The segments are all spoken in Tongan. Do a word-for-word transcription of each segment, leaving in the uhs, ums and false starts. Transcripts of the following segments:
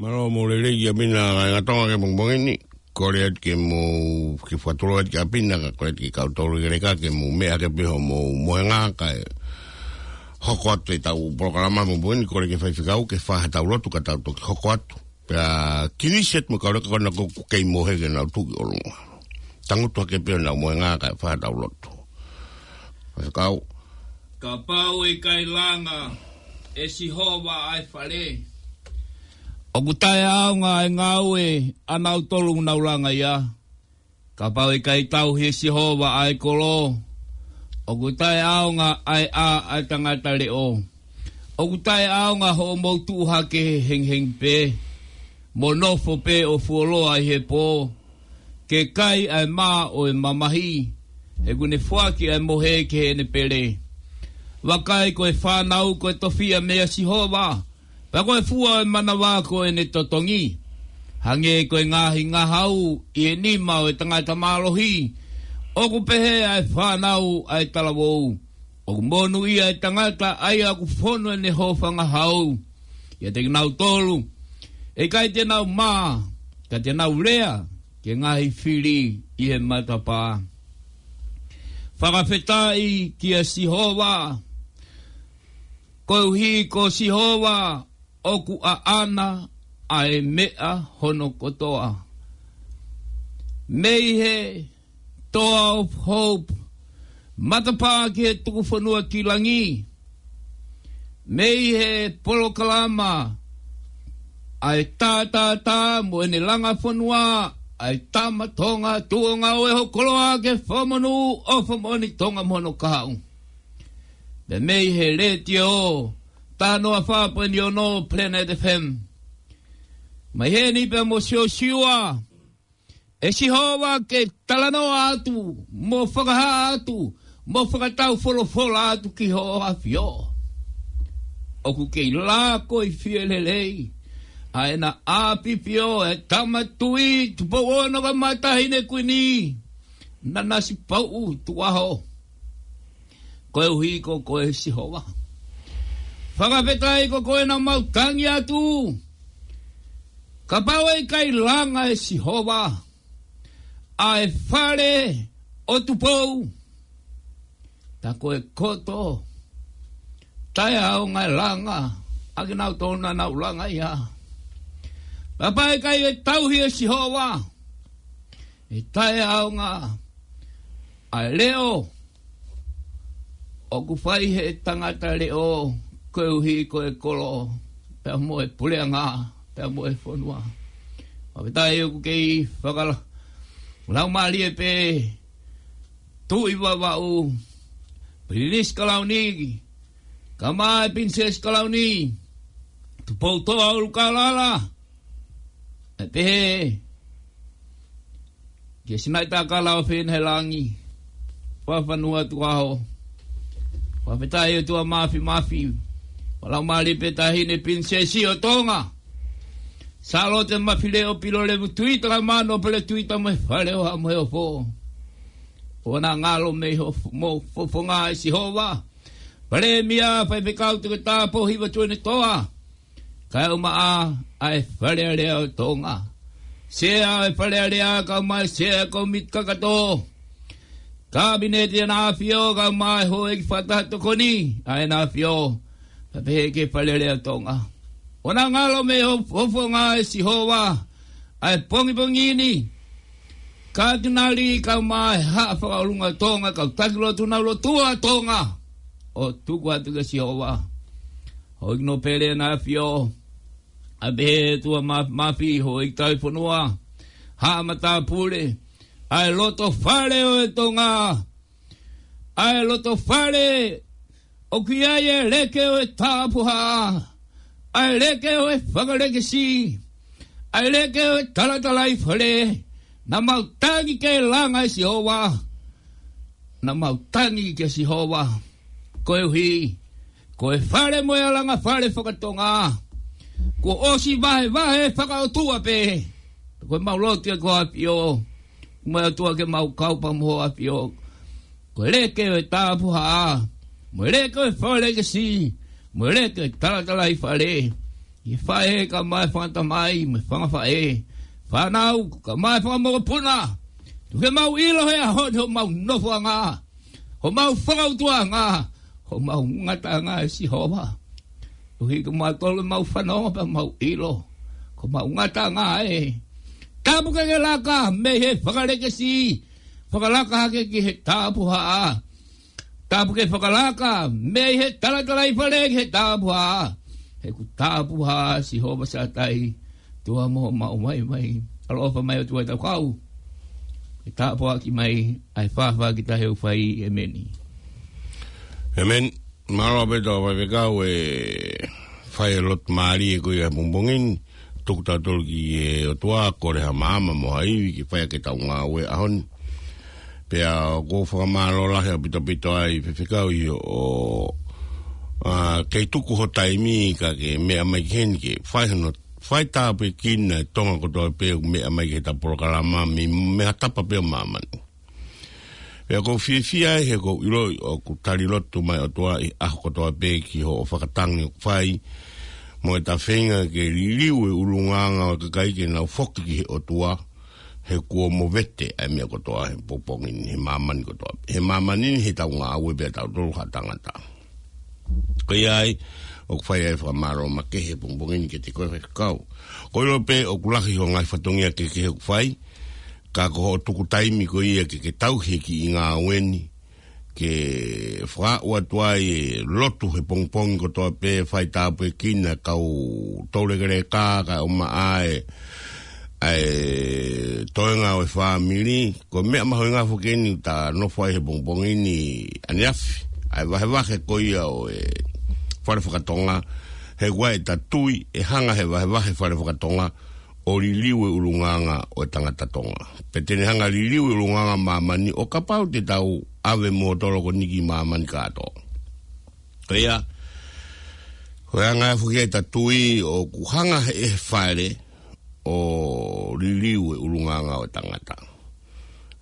Mālō mo e lelei ʻa Pina, ngaahi ngaahi Tonga, ki he pongipongi ni. Kole atu ke mou, ke fakatulou atu kia Pina, ka kole atu ki he kau tolu ʻi he leka ke mou meʻa hake pē hoʻomou mohenga kae hoko atu ʻetau polokalama he pongipongi ni. Kole ki he faifekau ke fai haʻatau lotu ka tau toki hoko atu. Pea kiʻi seti mo e kau leka ko ena ʻoku kei mohe ke nau tuʻu ʻi ʻolunga. Tangutu hake pē honau mohenga kae fai haʻatau lotu. Faifekau. Kapau ʻe ʻikai langa ʻe Sihova ʻa e fale, ʻoku taʻeʻaonga ʻa e ngāue ʻa nautolu ʻoku nau langa ia. Kapau ʻe ʻikai tauhi ʻe Sihova ʻa e kolo, ʻoku taʻeʻaonga ʻa e ʻā ʻa e tangata leʻo. ʻOku taʻeʻaonga hoʻomou tuʻu hake hengihengi pē, mo nofo pē ʻo fuoloa ʻi he pō, ke kai ʻa e mā ʻo e mamahi, he ʻoku ne foaki ʻa e mohe ki heʻene pele. Vakai, ko e fānau ko e tofiʻa meia Sihova, pea ko e fua ʻo e manava ko ʻene totongi. Hangē ko e ngaahi ngahau ʻi he nima ʻo e tangata mālohi, ʻoku pehē ʻa e fānau ʻa e talavou. ʻOku monūʻia ʻa e tangata ʻa ia ʻoku fonu ʻene hōfangahau ʻiate kinautolu. ʻE ʻikai te nau mā, ka te nau lea ki he ngaahi fili ʻi he matapā. Fakafetaʻi kia Sihova, koeʻuhi ko Sihova ʻoku ʻaʻana ʻa e meʻa hono kotoa. Mei he Toa of Hope, matapā ki he tuku fonua ki langi. Mei he polokalama ʻa e Tātātā mo ʻene langa fonua, ʻa e Tama Tonga Tuʻunga ʻo e Hokoloa ke fakamonū ʻo fakamoʻoni Tonga mo hono kahaʻu. Pea mei he letiō, taha noa fā poini ono Planet F M. Mai heni pea mo Siosiua, ʻe Sihova, ke talanoa atu, mo fakahā atu, mo fakatau folofola atu ki hoʻo ʻAfio. ʻOku kei lako ʻi fie lelei ʻa ʻena ʻAfio, ʻa e Tama Tuʻi Tupou Ono kae ʻumaʻā Taʻahine Kuini Nanasipauʻu Tukuʻaho. Koeʻuhi ko koe Sihova. Fakafetaʻi ko koe naʻa mau tangi atu. Kapau ʻe ʻikai langa ʻe Sihova ʻa e fale ʻo Tupou, tā ko e koto taʻeʻaonga e langa ʻa kinautolu naʻa nau langa ia. Kapau ʻe ʻikai ʻe tauhi ʻe Sihova, ʻe taʻeʻaonga ʻa e leʻo ʻoku fai ʻe he tangata leʻo, koeʻuhi ko e kolo, pea mo e puleʻanga, pea mo e fonua. Fakafetaʻi ʻoku kei fakala-, laumālie pē Tuʻi Vavaʻu, Pilinisi Kalauni, kae ʻumaʻā e Pilinisesi Kalauni, Tupoutoʻa ʻUlukalala, ʻe pehē kia Sinaitakala ʻo Fenailangi, Fakafanua Tukuʻaho. Fakafetaʻi ʻOtua Māfimafi, fakalaumālie pē Taʻahine Pilinisesi ʻo Tonga, Sālote Mafileʻo Pilolevu Tuita, kae ʻumaʻā Nōpele Tuita mo e Fale ʻo Haʻa Moheofo. ʻOua naʻa ngalo mei ho f-, mo fofonga ʻe Sihova. Palēmia, faifekau, toketā, pōhiva, tuʻunga ʻo e toa, kae ʻumaʻā ʻa e Fale Alea ʻo Tonga. Sea ʻo e Fale Alea, kae ʻumaʻā e Sea ʻo e Kōmiti Kakato. Kapineti ʻEna ʻAfio, kae ʻumaʻā e houʻeiki fakataha tokoni ʻa ʻEna ʻAfio, pea pehē ki he Fale Alea ʻo Tonga. ʻOua naʻa ngalo mei ho f-, fofonga ʻe Sihova ʻa e pongipongi ni. Katinali kae ʻumaʻā e Haʻa Fakaʻolunga ʻo Tonga, kau taki lotu, nau lotua Tonga, ʻo tuku atu kia Sihova. Houʻeiki Nōpele ʻEna ʻAfio, ʻa pehē ʻOtua Mā-, Māfi, houʻeiki tauhi fonua, haʻa matāpule, ʻa e loto fale ʻo e Tonga, ʻa e loto fale ʻoku ʻi ai e leke ʻo e tāpuhā, ʻa e leke ʻo e fakalekesi, ʻa e leke ʻo e talatalaifale. Naʻa mau tangi ke langa ʻe Sihova. Naʻa mau tangi kia Sihova. Koeʻuhi ko e fale mo e alanga fale fakatonga, kuo ʻosi vahevahe fakaʻotua pē. Ko ʻemau lotu ia ki hoʻo ʻAfio, mo e ʻOtua, ke mau kau pē mo hoʻo ʻAfio. Ko e leke ʻo e tāpuhā, mo e leke ʻo e fakalekesi, mo e leke ʻo e talatalaifale. ʻI he faʻē kae ʻumaʻā e fanga tamai mo e fanga faʻē, fānau kae ʻumaʻā e fanga mokopuna. Tuku ke mau ʻilo he ʻaho ni hoʻomou nofoʻanga, hoʻomou fakaʻutuʻanga, hoʻomou ngataʻanga ʻe Sihova. Tuku ke mautolu ʻoku mau fanongo pea mau ʻilo ko homou ngataʻanga ē. Tāpuekina laka mei he fakalekesi, fakalaka hake ki he tapuhā. Tāpuekina fakalaka mei he talatalaifale ki he tapuhā. He ʻoku tapuhā Sihova Sātai, ʻOtua mo homau maʻu maʻu. ʻAloʻofa mai ʻOtua ʻi heʻetau kau, ke tapuhā ki mai ʻa e faʻahinga kiʻi taʻahine ʻoku fai. ʻEmeni. ʻEmeni. Mālō ʻaupito Faifekau e fai e lotu mālie ko ia he pongipongi ni. Tuku tautolu ki he ʻOtua, kole ha maama mo ha ivi ke fai ʻaki ʻetau ngāue he ʻaho ni. Pea ʻoku ou fakamālō lahi ʻaupito ʻaupito ai Faifekau ʻi hoʻo, ʻa, kei tuku ho taimi kae ke meʻa mai ki heni ke fai hono, fai tāpuekina e Tonga kotoa pē ʻoku meʻa mai ki heʻetau polokalama mei, mei ha tapa pē ʻo māmani. Pea ʻoku ou fiefia ai he ʻoku ou ʻiloʻi ʻoku tali lotu mai ʻOtua ʻi he ʻaho kotoa pē ki hoʻo fakatangi ʻoku fai mo ʻeta feinga ke liliu e ʻulungaanga ʻo e kakai ke nau foki ki he ʻOtua, he kuo movete ʻa e meʻa kotoa he pongipongi ni, he māmani kotoa, he māmani ni, heʻetau ngāue pē ʻatautolu ha tangata. Ko ia ai ʻoku fai ai e fakamālō makehe he pongipongi ni kiate koe Faifekau. ʻOku ou ʻilo pē ʻoku lahi ho ngaahi fatongia kehekehe ʻoku fai, ka ko hoʻo tuku taimi ko ia ke, ke tauhi e kiʻi ngāue ni, ke fakaaʻu atu ai e lotu he pongipongi kotoa pē, fai tāpuekina e kau toulekeleka kae ʻumaʻā e, ʻa e toenga ʻo e fāmili. Ko e meʻa mahuʻinga foki eni ʻoku ta nofo ai he pongipongi ni ʻaneafi, ʻa e vahevahe ko ia ʻo e fale fakatonga, he ʻoku ʻi ai ʻeta tui ʻe hanga ʻe he vahevahe fale fakatonga ʻo liliu e ʻulungaanga ʻo e tangata Tonga. Pea te ne hanga ʻo liliu e ʻulungaanga ʻo māmani ʻo kapau te tau ʻave mo tolokoniʻi māmani kātoa. Ko ia, ko e anga ia foki ʻeta tui ʻoku hanga ʻe he fale ʻo liliu e ʻulungaanga ʻo e tangata.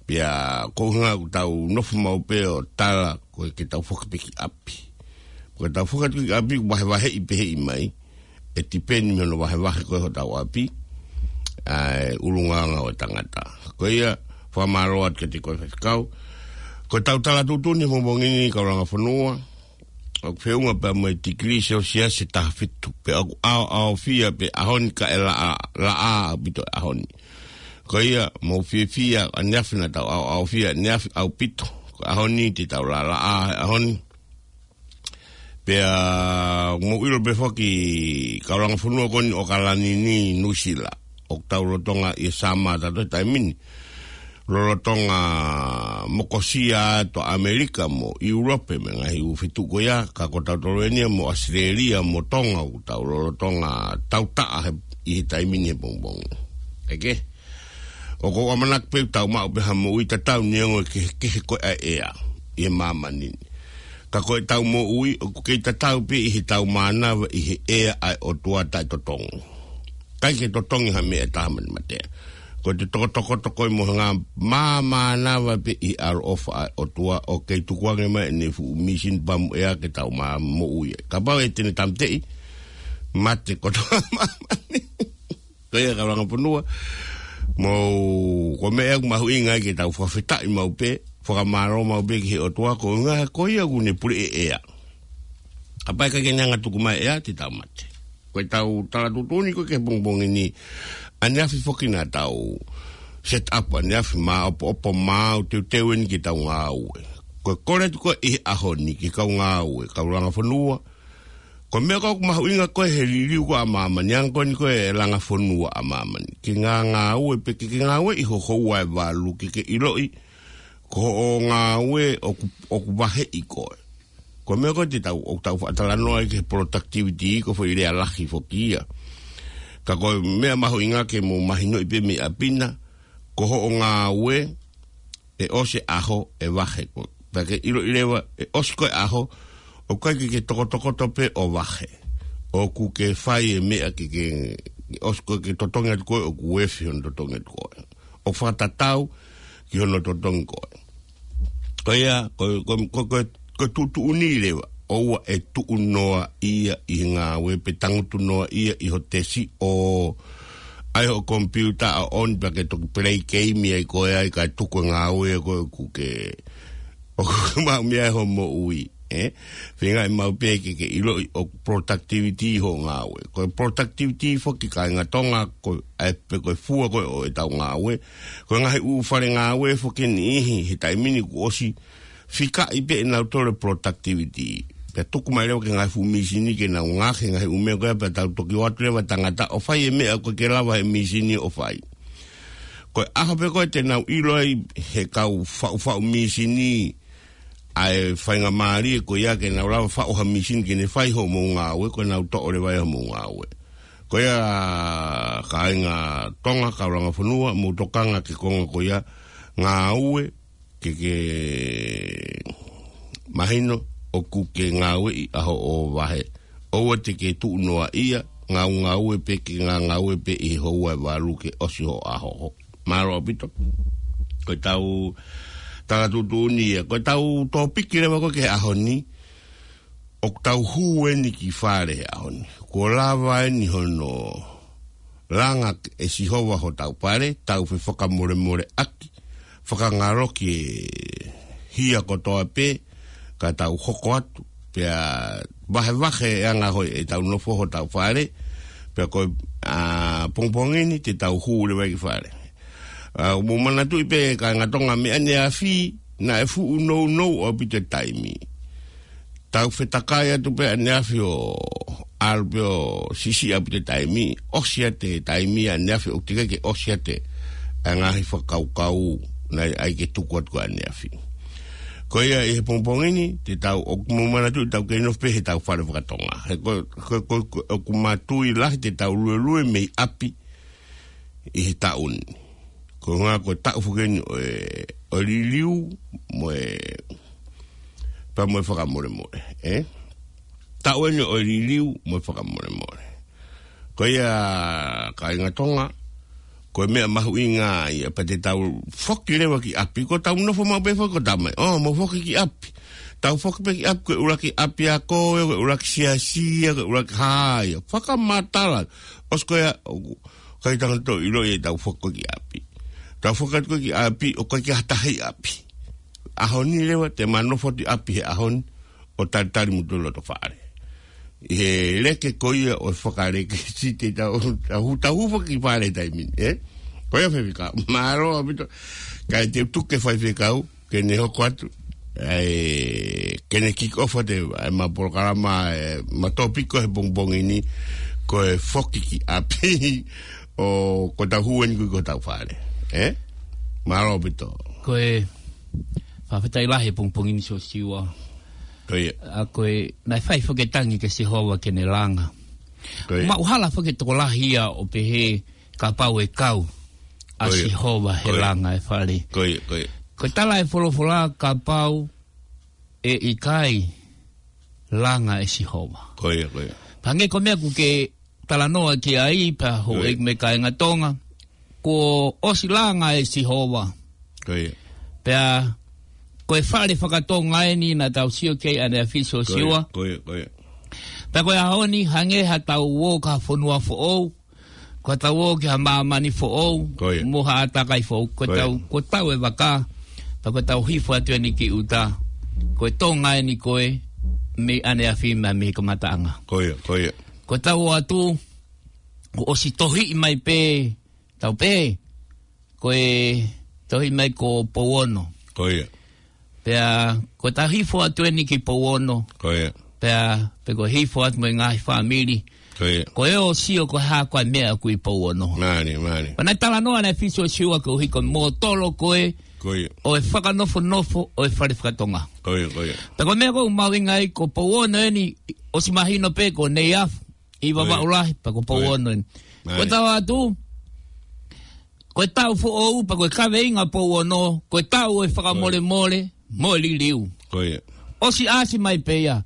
Pea ko e ʻuhinga ʻoku tau nofo maʻu pē ʻo tala ko e ke tau foki pē ki ʻapi. Ko e tau foki atu ki ʻapi ʻoku vahevaheʻi pē ʻe he ʻEiki mai, ʻe tipeni mei hono vahevahe ko ē hotau ʻapi ʻa e ʻulungaanga ʻo e tangata. Ko ia, fakamālō atu kiate koe Faifekau. Ko ʻetau tala tuʻutuʻuni he pongipongi ni kau langa fonua, ʻoku feʻunga pea mo e tikilī Selesiasi ʻe taha fitu, pea ʻoku ʻaoʻaofia pē ʻaho ni kae laʻā, laʻā ʻaupito e ʻaho ni. Ko ia, mou fiefia ʻaneafi, naʻa tau ʻaoʻaofia ʻaneafi ʻaupito. Ko e ʻaho ni te tau lālaʻā he ʻaho ni. Pea mou ʻilo pē foki kau langa fonua ko eni ʻAokalani ni, Nuʻusila, ʻoku tau lolotonga ʻi he summer ʻatautolu he taimi ni. Lolotonga mokosia atu ʻa ʻAmelika mo ʻIulope mo e ngaahi ʻū feituʻu ko ia, ka ko tautolu eni ia mo ʻAositelēlia mo Tonga ʻoku tau lolotonga tautaʻa he, ʻi he taimi ni he pongipongi. ʻEke, ʻoku ou ʻamanaki pē ʻoku tau maʻu pē ha moʻui tatau neongo e kehekehe ko ē ʻa e ʻea ʻi he māmani ni. Ka ko ʻetau moʻui ʻoku kei tatau pē ʻi heʻetau mānava ʻi he ʻea ʻa e ʻOtua taʻetotongi. ʻIkai ke totongi ha meʻa ʻe taha mei he mate. Ko ʻete tokotokoto ko ē mo e ngaahi māmānava pē ʻi he ʻaloʻofa ʻa e ʻOtua ʻo kei tukuange mai ʻene fuʻu mīsini pamu ʻea ke tau mā moʻui ai. Kapau ʻe te ne tāmateʻi, mate kotoa māmani. Ko ia kau langa fonua, mou, ko e meʻa ʻoku mahuʻinga ai ke tau fakafetaʻi maʻu pē, fakamālō maʻu pē ki he ʻOtua, ko e ʻuhinga ko ia ʻoku ne puleʻi e ʻea. Kapau ʻe ʻikai ke ne hanga ʻo tuku mai e ʻea, te tau mate. Ko ʻetau tala tuʻutuʻuni ko ē ki he pongipongi ni, ʻaneafi foki naʻa tau set up ʻaneafi, māʻopoʻopo, maau teuteu eni ke tau ngāue. Ko e kole atu ko ē ʻi he ʻaho ni ki he kau ngāue, kau langa fonua, ko e meʻa ko ē ʻoku mahuʻinga ko ē he liliu ko ē ʻa māmani, ʻa e anga ko eni ko ē e langa fonua ʻa māmani, ke ngā ngāue pē, ke, ke ngāueʻi ho houa ʻe valu, ke, ke ʻiloʻi ko hoʻo ngāue ʻoku, ʻoku vaheʻi koe. Ko e meʻa ko ē te tau, ʻoku tau faʻa talanoa ai ki he productivity, ko e foʻi lea lahi foki ia. Ka ko e meʻa mahuʻinga ke mou mahinoʻi pē mei ʻapi na, ko hoʻo ngāue, ʻe ʻosi e ʻaho ʻe vahe koe. Pea ke ʻiloʻi leva, ʻe ʻosi ko ē e ʻaho, ʻoku ʻikai ke ke tokotokoto pē ʻo vahe. ʻOku ke fai e meʻa ke, ke, ʻosi ko ē ke totongi atu koe, ʻoku efi hono totongi atu koe. ʻOku fakatatau ki hono totongi koe. Ko ia, ko, ko, ko, ko, ko e tuʻutuʻuni leva. ʻoua ʻe tuʻu noaʻia ʻi he ngāue pe tangutu noaʻia ʻi ho tesi ʻo ʻai hoʻo komipiuta ʻo on pea ke toki pelei keimi ai koe ai kae tuku e ngāue ko ē ʻoku ke ʻoku ke maʻu mei ai ho moʻui, ē? Feinga ʻe maʻu pē ke ke ʻiloʻi ʻoku productivity hoʻo ngāue. Ko e productivity foki kāinga Tonga, ko e, ʻa e pe ko e fua ko ē ʻo ʻetau ngāue. Ko e ngaahi ʻū fale ngāue foki ʻe niʻihi, he taimi ni kuo ʻosi fikaʻi pē ʻe nautolu e productivity. Pea tuku mai leva ki he ngaahi fuʻu mīsini ke nau ngāueʻaki e ngaahi ʻū meʻa ko ia pea tau toki ʻoatu leva tangata ʻo fai e meʻa ʻoku ʻikai ke lava he mīsini ʻo fai. Ko e ʻaho pē ko ē te nau ʻilo ai he kau faʻufaʻu mīsini ʻa e faingamālie ko ia ke nau lava faʻu ha mīsini ke ne fai hoʻomou ngāue, ko ʻenau toʻo leva ʻe hoʻomou ngāue. Ko ia kāinga Tonga, kau langa fonua, mou tokanga ki he konga ko ia ngāue, ke ke mahino ʻoku ke ngāueʻi ʻa hoʻo vahe. ʻOua te ke tuʻu noaʻia, ngāue ngāue pē ke ngā ngāue pē ʻi he houa ʻe valu ke ʻosi hoʻo ʻaho. Mālō ʻaupito. Ko ʻetau tala tuʻutuʻuni ia. Ko ʻetau tōpiki leva ko ē ki he ʻaho ni, ʻoku tau hū eni ki fale he ʻaho ni. Kuo lava eni hono langa ʻe Sihova hotau fale, tau fefakamolemoleʻaki, fakangaloki e hia kotoa pē, ka tau hoko atu, pea vahevahe e anga hoʻo ʻetau nofo hotau fale, pea ko e, ā, pongipongi ni te tau hū leva ki fale. Ā, mou manatuʻi pē kāinga Tonga mei ʻaneafi, naʻe fuʻu nounou ʻaupito e taimi. Tau fetakai atu pē ʻaneafi ʻo ʻalu pē ʻo siʻisiʻi ʻaupito e taimi, ʻosi atu e taimi ʻaneafi ʻoku teʻeki ke ʻosi atu e ngaahi fakakaukau naʻe ʻai ke tuku atu ko ē ʻaneafi. Ko ia ʻi he pongipongi ni, te tau ʻoku mou manatuʻi tau kei nofo pē he tau fale fakatonga. He ko, ko, ko, ko, ʻoku mātuʻaki lahi te tau luelue mei ʻapi ʻi he taʻu ni. Ko e ngā ko e taʻu foki eni ʻo e, ʻo e liliu mo e, pea mo e fakamolemole, ē? Taʻu eni ʻo e liliu mo e fakamolemole. Ko ia kāinga Tonga, ko e meʻa mahuʻinga ia, pea te tau foki leva ki ʻapi, ko ʻetau nofo maʻu pē foki ko e taimi. ʻŌ, mou foki ki ʻapi. Tau foki pē ki ʻapi, ko e ʻuluaki ʻapiako, ko e ʻuluaki siasi, ko e ʻuluaki hā ia. Fakamatala. ʻOsi ko ia, ʻoku ʻikai ke tau toe ʻilo ia ʻetau foki ko ē ki ʻapi. Tau foki atu ko ē ki ʻapi, ʻoku ʻikai ke ʻi ai ha taha ʻi ʻapi. ʻAho ni leva, te ma nofo atu ʻi ʻapi he ʻaho ni, ʻo talitali mutolu loto fale. ʻI he leke ko ia ʻo e fakaleke site tau, tau, tau foki ki fale taimi ni, ē? Ko ia Faifekau, mālō ʻaupito, kae te u tuku ki he Faifekau, ke ne hoko atu, ʻai, ke ne kick off atu e, ʻa e ma polokalama, e, ma tōpiki he pongipongi ni, ko e foki ki ʻapi, ʻo ko ʻetau hū eni ko ē ki hotau fale. Ē? Mālō ʻaupito. Ko e, fakafetaʻi lahi he pongipongi ni Siosiua. Ko ia. ʻA ko e, naʻe fai foki e tangi kia Sihova ke ne langa. Ko ia. Maʻu hala foki e tokolahi ia ʻo pehē, kapau ʻe kau ʻa Ko ia. Sihova he Ko ia. Langa e fale. Ko ia, ko ia. Ko e tala e folofola kapau ʻe ʻikai langa ʻe Sihova. Ko ia, ko ia. Pea hangē ko e meʻa ʻoku ke talanoa ki ai pea Ko ia. Houʻeiki mo e kāinga Tonga, kuo ʻosi langa ʻe Sihova. Ko ia. Pea ko e fale fakatonga eni naʻa tau sio ki ai ʻaneafi Siosiua. Ko ia, ko ia, ko ia. Pea ko e ʻaho ni hangē haʻatau ō ki ha fonua foʻou, ko ʻetau ō ki ha māmani foʻou, Ko ia. Mo ha ʻātakai foʻou, ko Ko ia. ʻetau, ko ʻetau ʻi he vaka, pea ko ʻetau hifo atu eni ki ʻuta, ko e Tonga eni ko ē, mei ʻaneafi mo mei he kamataʻanga. Ko ia, ko ia. Ko ʻetau ō atu, kuo ʻosi tohiʻi mai pē, tau pē, ko e tohiʻi mai ko Pouono. Ko ia. Pea, ko ʻetau hifo atu eni ki Pouono. Ko ia. Pea, pe ko e hifo atu mo e ngaahi fāmili. Ko ia. Ko e ō ʻo sio ko e hā ko ā e meʻa ʻoku ʻi Pouono. Mālie, mālie. Pea naʻe talanoa ʻaneafi Siosiua koeʻuhi ko e mōtolo ko ē Ko ia. ʻo e fakanofonofo ʻo e fale fakatonga. Ko ia, ko ia. Pea ko e meʻa ʻoku mahuʻinga ai ko Pouono eni ʻosi mahino pē ko Neiafu ʻi Vavaʻu Lahi, pea ko Pouono eni. Ko ia. Ko ʻetau ō atu, ko e taʻu foʻou, pea ko e kaveinga Pouono, ko e taʻu ʻo e fakamolemole mo e liliu. Ko ia. ʻOsi ʻasi mai pē ia.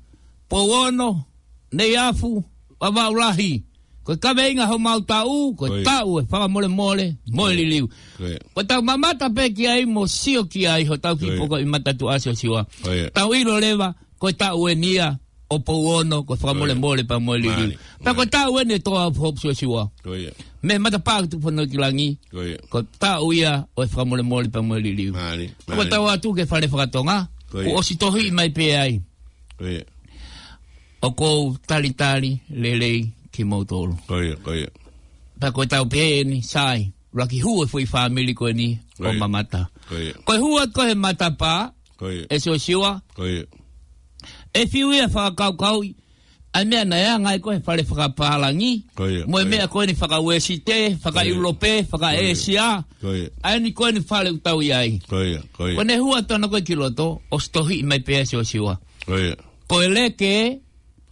Pouono, Neiafu, Vavaʻu Lahi. Ko e kaveinga homau taʻu, ko e Ko ia. taʻu ʻo e fakamolemole mo e Ko ia. liliu. Ko ia. Ko ʻetau mamata pē ki ai mo sio ki ai hotau Ko ia. kiʻi poko ʻi matatuʻa Siosiua. Ko ia. Tau ʻilo leva, ko e taʻu eni ia. ʻo Pouono, ko e fakamolemole pea mo e liliu. Mālie. Pea ko e taʻu eni ʻe tō ʻa Hope Siosiua. Ko ia. Mei he matapā ki Tukufonua ki Langi. Ko ia. Ko e taʻu ia ʻo e fakamolemole pea mo e liliu. Mālie. Ko e tau atu ki he fale fakatonga. Ko ia. Kuo ʻosi tohiʻi mai pē ai. Ko ia. ʻOku ou talitali lelei kimoutolu. Ko ia, ko ia. Pea ko e tau pē eni, sai. Laki hū e foʻi fāmili ko eni ʻo mamata. Ko ia. Ko e hū atu ko ē he matapā, ʻe Siosiua. Ko ia. ʻE fiu ia fakakaukauʻi ʻa e meʻa naʻe anga ai ko ē he fale fakapālangi. Ko ia, ko ia. Mo e meʻa ko eni faka-Uēsite, faka-ʻIulope, faka-ʻĒsia. Ko ia. ʻA eni ko eni fale ʻoku tau ʻi ai. Ko ia, ko ia. Ko ʻene hū atu ʻana ko ē ki loto, ʻosi tohiʻi mai pē ʻe Siosiua. Ko ia. Ko e leke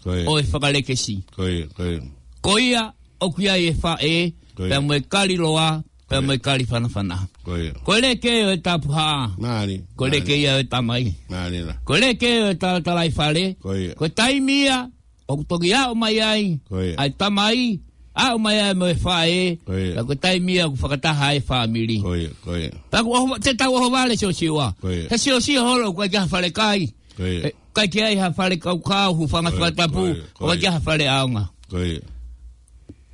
ʻo e fakalekesi. Ko ia, ko ia. Ko ia ʻoku ʻi ai e faʻē, pea mo e kali loa, pea mo e kali fanafana. Ko ia. Ko e leke ʻo e tapuhā. Mālie. Ko e leke ia ʻo e tamai. Mālie. Ko e leke ʻo e talatalaifale. Ko ia. Ko e taimi ia ʻoku toki aʻu mai ai ʻa e tamai, aʻu mai ai mo e faʻē, pea ko e taimi ia ʻoku fakataha ai e fāmili. Ko ia, ko ia. Pea ʻoku ʻoho, te tau ʻohovale Siosiua. Ko ia. He Siosiua holo ʻoku ʻikai ke ʻi ai ha fale kai. Ko ia. ʻIkai ke ʻi ai ha fale kaukau, hūfanga fakatapu, ʻoku ʻikai ke ʻi ai ha fale ʻaonga. Ko ia.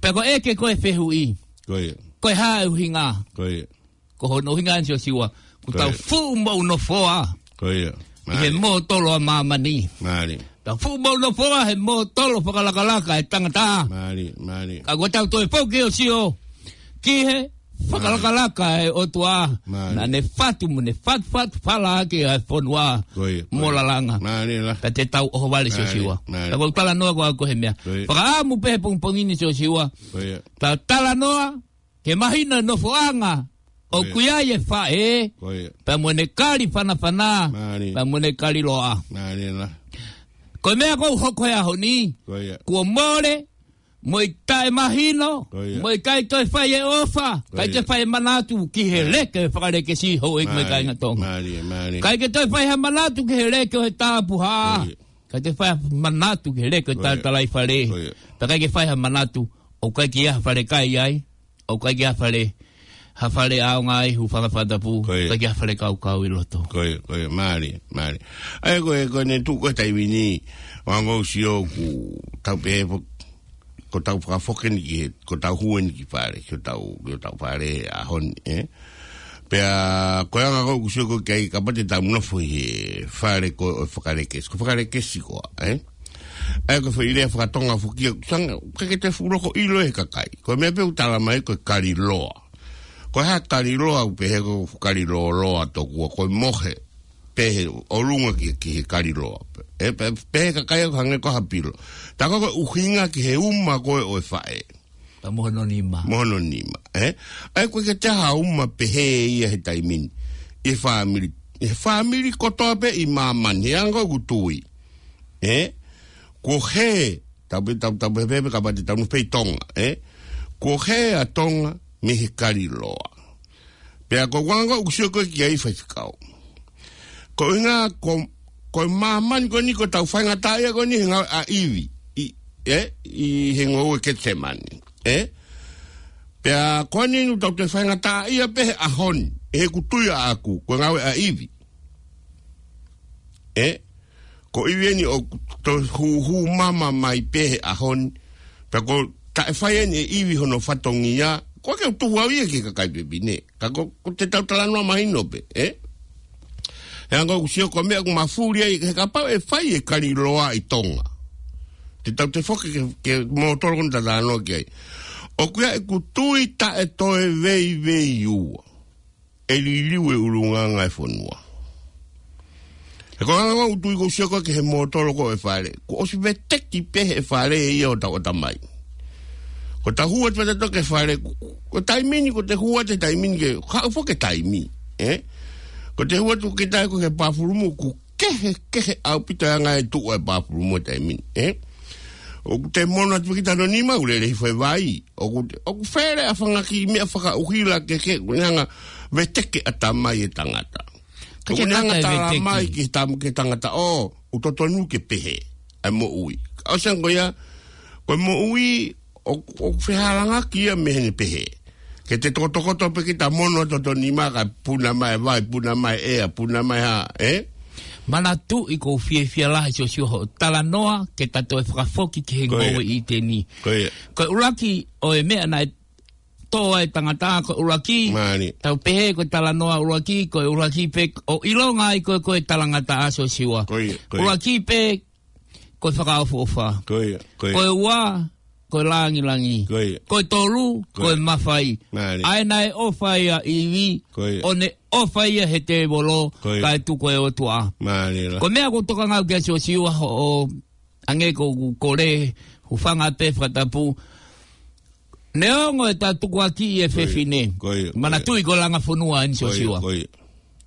Pea ko e ʻeke ko ē fehuʻi. Ko ia. Ko e hā e ʻuhinga. Ko ia. Ko hono ʻuhinga ʻeni Siosiua, ʻoku tau fuʻu moʻunofoa ʻi he mōtolo ʻa māmani. Mālie. Tau fuʻu moʻunofoa he mōtolo fakalakalaka e tangata. Mālie, mālie. Ka ʻoku tau toe foki ʻo sio ki he fakalakalaka e ʻOtua. Mālie. Naʻa ne fatu mo ne fatufatu fala ʻaki ʻa e fonua mo lalanga. Mālie la. Ka te tau ʻohovale Siosiua. Mālie. Ka ʻoku ou talanoa ko au ko e meʻa. Ko ia. Fakaʻamu pē he pongipongi ni Siosiua. Ko ia. Tau talanoa ke mahino e nofoʻanga ʻoku ʻi ai e faʻē, pea mo ʻene kali fanafana, pea mo ʻene kali loa. Mālie la. Ko e meʻa ʻoku hoko he ʻaho ni, kuo mole, mo e taʻemahino, mo e ʻikai toe fai e ʻofa, ʻikai toe fai e manatu ki he leke ʻo e fakalekesi houʻeiki mo e kāinga Tonga. Mālie, mālie. ʻIkai ke toe fai ha manatu ki he leke ʻo e tapuhā. ʻIkai ke fai ha manatu ki he leke ʻo e talatalaifale. Pea ʻikai ke fai ha manatu ʻoku ʻikai ke ʻi ai ha fale kai ai, ʻoku ʻikai ke ʻi ai ha fale, ha fale ʻaonga ai, hūfanga fakatapu, ʻikai ke ʻi ai ha fale kaukau ʻi loto. Ko ia, ko ia, mālie, mālie. ʻA ia ko e, ko ʻene tuʻu ko ē he taimi ni, ʻoku ou sio ʻoku tau pehē fo-, ko ʻetau fakafoki eni ki he, ko ʻetau hū eni ki fale, ki hotau, ki hotau fale he ʻaho ni, ē? Pea ko e anga ko ē ʻoku sio ko ē ki ai kapau te tau nofo ʻi he fale ko ē ʻo e fakalekesi. Ko e fakalekesi koā, ē? ʻA ia ko e foʻi lea fakatonga foki ia, ʻoku ʻikai ke toe fuʻu loko ʻilo ʻe he kakai. Ko e meʻa pē ʻoku tala mai ko e kali loa. Ko e hā e kali loa, ʻoku pehē ko e kali lōloa tokua, ko e mohe pē he ʻolunga ki, ki he kali loa. ʻE, pe-, pehē ʻe he kakai ʻoku hangē ko ha pilo. Tā ko ē ko e ʻuhinga ki he uma ko ē ʻo e faʻē. Pea mo hono nima. Mo hono nima, ē? ʻA ia ʻoku ʻikai ke toe ʻi ai ha uma pehē ia he taimi ni. ʻI he fāmili, ʻi he fāmili kotoa pē ʻi māmani, he anga ʻoku tui. Ē? Kuo hē, tau pē, tau, tau pē, pē, pē, kapau te tau nofo pē ʻi Tonga, ē? Kuo hē ʻa Tonga mei he kali loa. Pea ko e anga ʻoku sio ko ē ki ai faifekau. Ko e ʻuhinga ko, ko e māmani ko eni ko ʻetau faingataʻaʻia ko eni he ngāue ʻa ʻIvi. ʻI, ē? ʻI he ngoue Ketisemani. Ē? Pea ko eni ʻoku tau toe faingataʻaʻia pē he ʻaho ni. ʻI heʻeku tui ʻaʻaku, ko e ngāue ʻa ʻIvi. Ē? Ko ʻIvi eni ʻoku toe hū, hū mama mai pē he ʻaho ni. Pea ko e taʻe fai eni ʻe ʻIvi hono fatongia, ʻoku ʻikai ke u tuhu au ia ki he kakai pepine. Ka ko, ko ʻetau talanoa mahino pē, ē? He anga ʻoku sio ko e meʻa ʻoku mafuli ai, he kapau ʻe fai e kali loa ʻi Tonga. Te tau toe foki ki he, ki he mōtolo ko eni ʻoku tau talanoa ki ai. ʻOku ʻi ai ʻeku tui taʻe toe veiveiua ʻe liliu e ʻulungaanga e fonua. He ko e anga ʻoku ou tui ʻoku ou sio ko ē ki he mōtolo ko ē ʻo e fale. Kuo ʻosi veteki pē he fale ia ʻo tau ʻatamai. Ko ʻetau hū atu pē tautolu ki he fale. Ko, ko e taimi ni, ko ʻete hū atu he taimi ni ke, haʻu foki e taimi. Ē? Ko ʻete hū atu ki he taimi ko ē ki he pāfulumu, ʻoku kehekehe ʻaupito e anga e tuʻu e pāfulumu he taimi ni. Ē? ʻOku te mono atu pē kita hono nima, ʻoku lele hifo e vai. ʻOku, ʻoku fele ʻa e fanga kiʻi meʻa fakaʻuhila kehekehe, ʻoku ne hanga ʻo veteki ʻatamai e tangata. Ka ʻoku ne hanga ʻo tala mai ki he tam-, ki he tangata, ʻo, ʻoku totonu ke pehē ʻa e moʻui. ʻOsi ange ko ia, ko e moʻui, ʻoku, ʻoku fehālaaki ia mei heʻene pehē. Ke te tokotokoto pē kita mono atu hoto nima kae puna mai e vai, puna mai e ʻea, puna mai ha, ē? Manatuʻi ʻoku ou fiefia lahi Siosiua hoʻo talanoa ke ta toe fakafoki ki he Ko ia. ngoue ʻi ʻĪteni. Ko ia. Ko e ʻuluaki ʻo e meʻa naʻe tō ai e tangata, ko e ʻuluaki, Mālie. tau pehē ko e talanoa ʻuluaki, ko e ʻuluaki pē ʻo ʻilonga ai ko e, ko e talangataʻa Siosiua. Ko ia, ko ia. ʻUluaki pē, ko e fakaʻofoʻofa. Ko ia, ko ia. Ko e ua, ko e langilangi. Ko ia. Ko e tolu, Ko ko e ia. mafai. Mālie. ʻA ē naʻe ʻofa ai ʻa ʻIvi, Ko ia. ʻo ne ʻofa ia he tēvolo, Ko ia. kae tuku e ʻOtua. Mālie lā. Ko e meʻa ʻoku ou tokanga au ki ai Siosiua hoʻo, hangē ko ʻeku kole, hūfanga pē fakatapu. Neongo e tau tukuakiʻi e Ko ia. fefine. Ko ia, ko ia. Manatuʻi ko e langa fonua eni Ko ia, Siosiua. ko ia.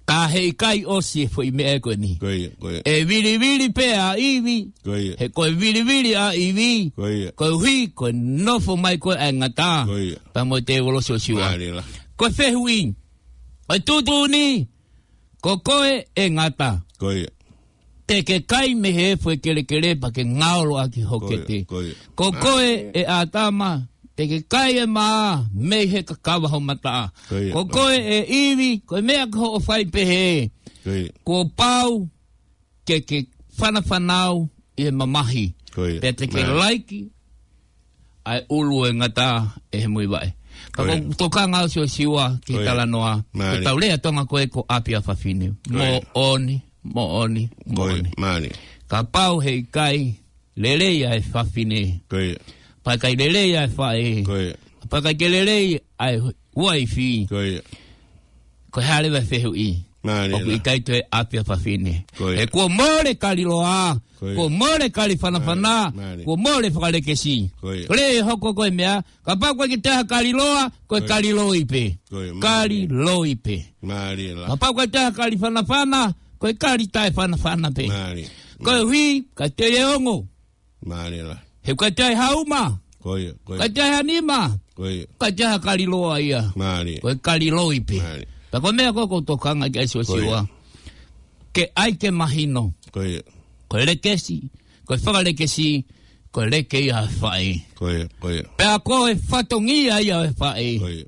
Ka heʻikai ʻosi e foʻi meʻa ko eni. Ko ia, ko ia. ʻE vilivili pē ʻa ʻIvi. Ko ia. He ko e vilivili ʻa ʻIvi. Ko ia. Koeʻuhi, ko e nofo mai ko ē ʻa e ngata. Ko ia. Pea mo e tēvolo Siosiua. Mālie lā. Ko e fehuʻi. ʻO e tuʻutuʻuni. Ko koe ʻe ngata. Ko ia. Te ke kai mei he efu ʻo e kelekele pea ke ngaolo ʻaki ho Ko ia, kete. ko ia. Ko koe ʻe ʻĀtama, te ke kai ʻe mā mei he kakava ho mataʻa. Ko ia, Ko ko koe ia. ʻe ʻIvi, ko e meʻa ko hoʻo fai pehē. Ko ia. Kuo pau ke ke fanafanau ʻi he mamahi. Ko ia. Pea te ke Mālie. laiki ʻa e ʻulu ʻo e ngata ʻe he muivaʻe. Ka Ko ia. ʻoku ou tokanga au Siosiua ki he Ko ia. talanoa. Ko Mālie. e tau lea Tonga ko ē ko ʻapi ʻa fafine. Ko ia. Moʻoni, moʻoni, Ko ia. moʻoni. Mālie. Kapau heʻikai lelei ʻa e fafine. Ko ia. Pea ʻikai lelei ʻa e faʻē. Ko ia. Pea ʻikai ke lelei ʻa e uaifi. Ko ia. Ko e hā leva e fehuʻi. Mālie ʻOku lā. ʻikai toe ʻapi ʻa fafine. Ko ia. He kuo mole kaliloa. Ko ia. Kuo mole kali fanafana. Mālie, mālie. Kuo mole fakalekesi. Ko ia. Ko e lea ʻe hoko ko e meʻa. Kapau ʻoku ʻikai ke toe ha kaliloa, ko e Ko ia. kaliloi pē. Ko ia, mālie. Kaliloi pē. Mālie lā. Kapau ʻoku ʻikai toe ha kali fanafana, ko e kali taʻefanafana pē. Mālie. Koeʻuhi, ʻikai toe ongo. Mālie lā. He ʻoku ʻikai toe ha uma. Ko ia, ko ia. ʻIkai toe ha nima. Ko ia. ʻIkai toe ha kaliloa ia. Mālie. Ko e kaliloi pē. Mālie. Pea ko e meʻa ko ē ʻoku ou tokanga ki ai Siosiua. Ko ia. Ke ʻai ke mahino. Ko ia. Ko e lekesi, ko e fakalekesi, ko e leke ia ʻa e faʻē. Ko ia, ko ia. Pea ko e fatongia ia ʻo e faʻē. Ko ia.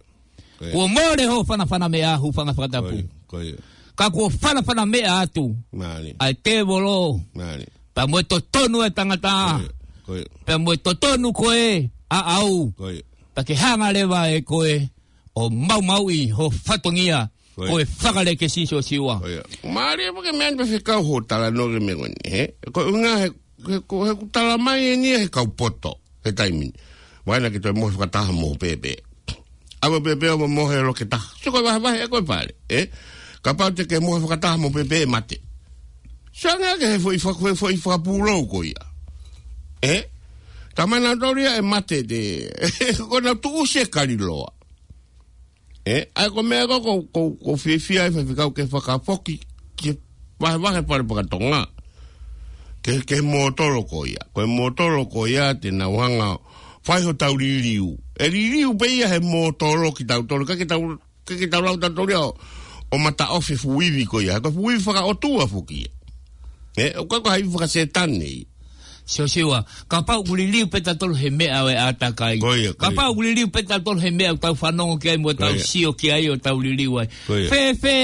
Ko ia. Kuo mole hoʻo fanafana meʻa, hūfanga fakatapu. Ko ia, ko ia. Ka kuo fanafana meʻa atu. Mālie. ʻA e tēvolo. Mālie. Pea mo e totonu ʻa e tangata. Ko ia, ko ia. Pea mo e totonu ko ē ʻaʻau. Ko ia. Pea ke hanga leva ʻe koe ʻo maumauʻi hoʻo fatongia. Ko ia. Ko e fakalekesi Siosiua. Ko ia. Mālie pē ke meʻa ni pē fekau hoʻo talanoa ki he meʻa ko eni, hē? Ko e ʻuhinga he, he, ko, he ʻoku tala mai eni ia he kau poto, he taimi ni. Vakai naʻa ke toe mohe fakataha mo pēpē. ʻAve pēpē ʻo mohe loki taha. Sio ko e vahevahe ʻe ko e pale, ē? Kapau te ke mohe fakataha mo pēpē ʻe mate. Sio ange ke he foʻi faka-, he foʻi fakapūlou ko ia. Ē? Ka mai nautolu ia ʻe mate te. Ko ʻenau tuʻusi e kaliloa. Ē, ʻa ia ko e meʻa ko, ko, ko, ʻoku ou fiefia ai Faifekau ke fakafoki, ke vahevahe pale pakatonga. Ke, ke mōtolo ko ia. Ko e mōtolo ko ia te nau hanga fai hotau liliu. ʻE liliu pē ia he mōtolo kitautolu. ʻIkai ke tau, ʻikai ke tau lau tautolu ia ʻo, ʻo mataʻofi e fuʻu ivi ko ia. Ko e fuʻu ivi fakaʻotua foki ia. Ē, ʻoku ʻikai ko ha ivi fakasētane ia. Siosiua, kapau ʻoku liliu pē tautolu he meʻa ʻo e ʻātakai. Ko ia, ko ia. Kapau ʻoku liliu pē tautolu he meʻa ʻoku tau fanongo ki ai mo Ko tau ia. sio ki ai ʻo tau liliu ai. Ko ia. Fēfē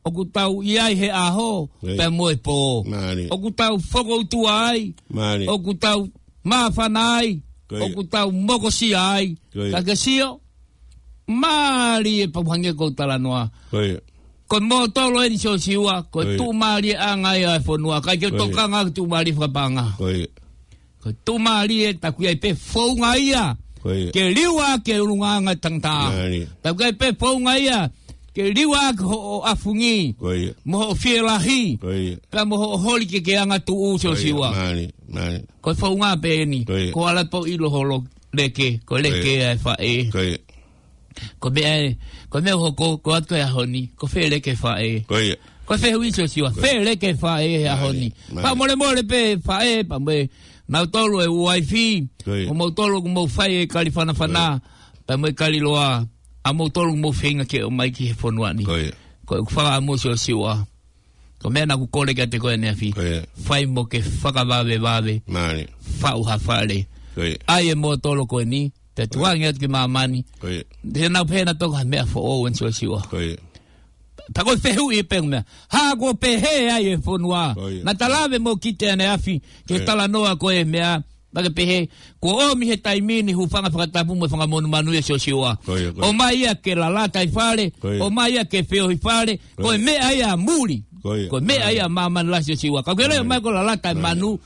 ʻoku tau ʻi ai he ʻaho, Ko ia. pea mo e pō. Mālie. ʻOku tau fokoutua ai. Mālie. ʻOku tau māfana ai. Ko ia. ʻOku tau mokosia ai. Ko ia. Ka ke sio, mālie pau hangē ko e talanoa. Ko ia. Ko e mōtolo eni Siosiua, ko e Ko ia. tuʻumālieʻanga ia ʻo e fonua. ʻIkai ke Ko ia. tokanga ki he tuʻumālie fakapaʻanga. Ko ia. Ko e tuʻumālie taku ʻi ai pē founga ia. Ko ia. Ke liua ke ʻulungaanga tangata. Mālie. Taku ʻi ai pē founga ia. Ke liua ke hoʻo ʻafungi. Ko ia. Mo hoʻo fielahi. Ko ia. Pea mo hoʻo holi ke ke angatuʻu Ko ia. Siosiua. Mālie, mālie. Ko e founga pē eni. Ko ia. Ko ala pau ʻilo holo leke. Ko e Ko ia. leke ʻa e faʻē. Ko ia. Ko e meʻa ē, ko e meʻa ʻoku hoko, ko atu e ʻaho ni, ko fē leke faʻē. Ko ia. Ko e fehuʻi Siosiua, Ko ia. fē leke faʻē he ʻaho Mālie, ni. mālie. Fakamolemole pē faʻē, pea mo e nautolu e uaifi, Ko ia. ʻo moutolu ʻoku mou fai e kali fanafana, Ko ia. pea mo e kali loa, ʻa moutolu ʻoku mou feinga ke ō mai ki he fonua ni. Ko ia. Ko e fakaʻamu Siosiua. Ko e meʻa naʻa ku kole kiate koe ʻaneafi. Ko ia. Fai mo ke fakavavevave. Mālie. Faʻu ha fale. Ko ia. ʻAi e mōtolo ko eni. Pea Ko ia. tukuange atu ki māmani. Ko ia. Te nau pehē naʻa toko ha meʻa foʻou eni Siosiua. Ko ia. Pea ko e fehuʻi pē meʻa. Hā ko e pehē ai e fonua. Ko ia. Naʻa ta lave mo Kite ʻaneafi, ke Ko ia. talanoa ko e meʻa, naʻa ke pehē, ko e ʻomi he taimi ni hūfanga fakatapu mo e fanga monumanu ia Siosiua. Ko ia, ko ia. ʻOmai ia ke lalata ʻi fale, Ko ia. ʻomai ia ke feohi fale, Ko ko e ia. meʻa ia muli. Ko ia. Ko e meʻa ia māmani lahi Siosiua. Ka ko e lea Ko ia. mai ko e lalata e Ko ia. manu,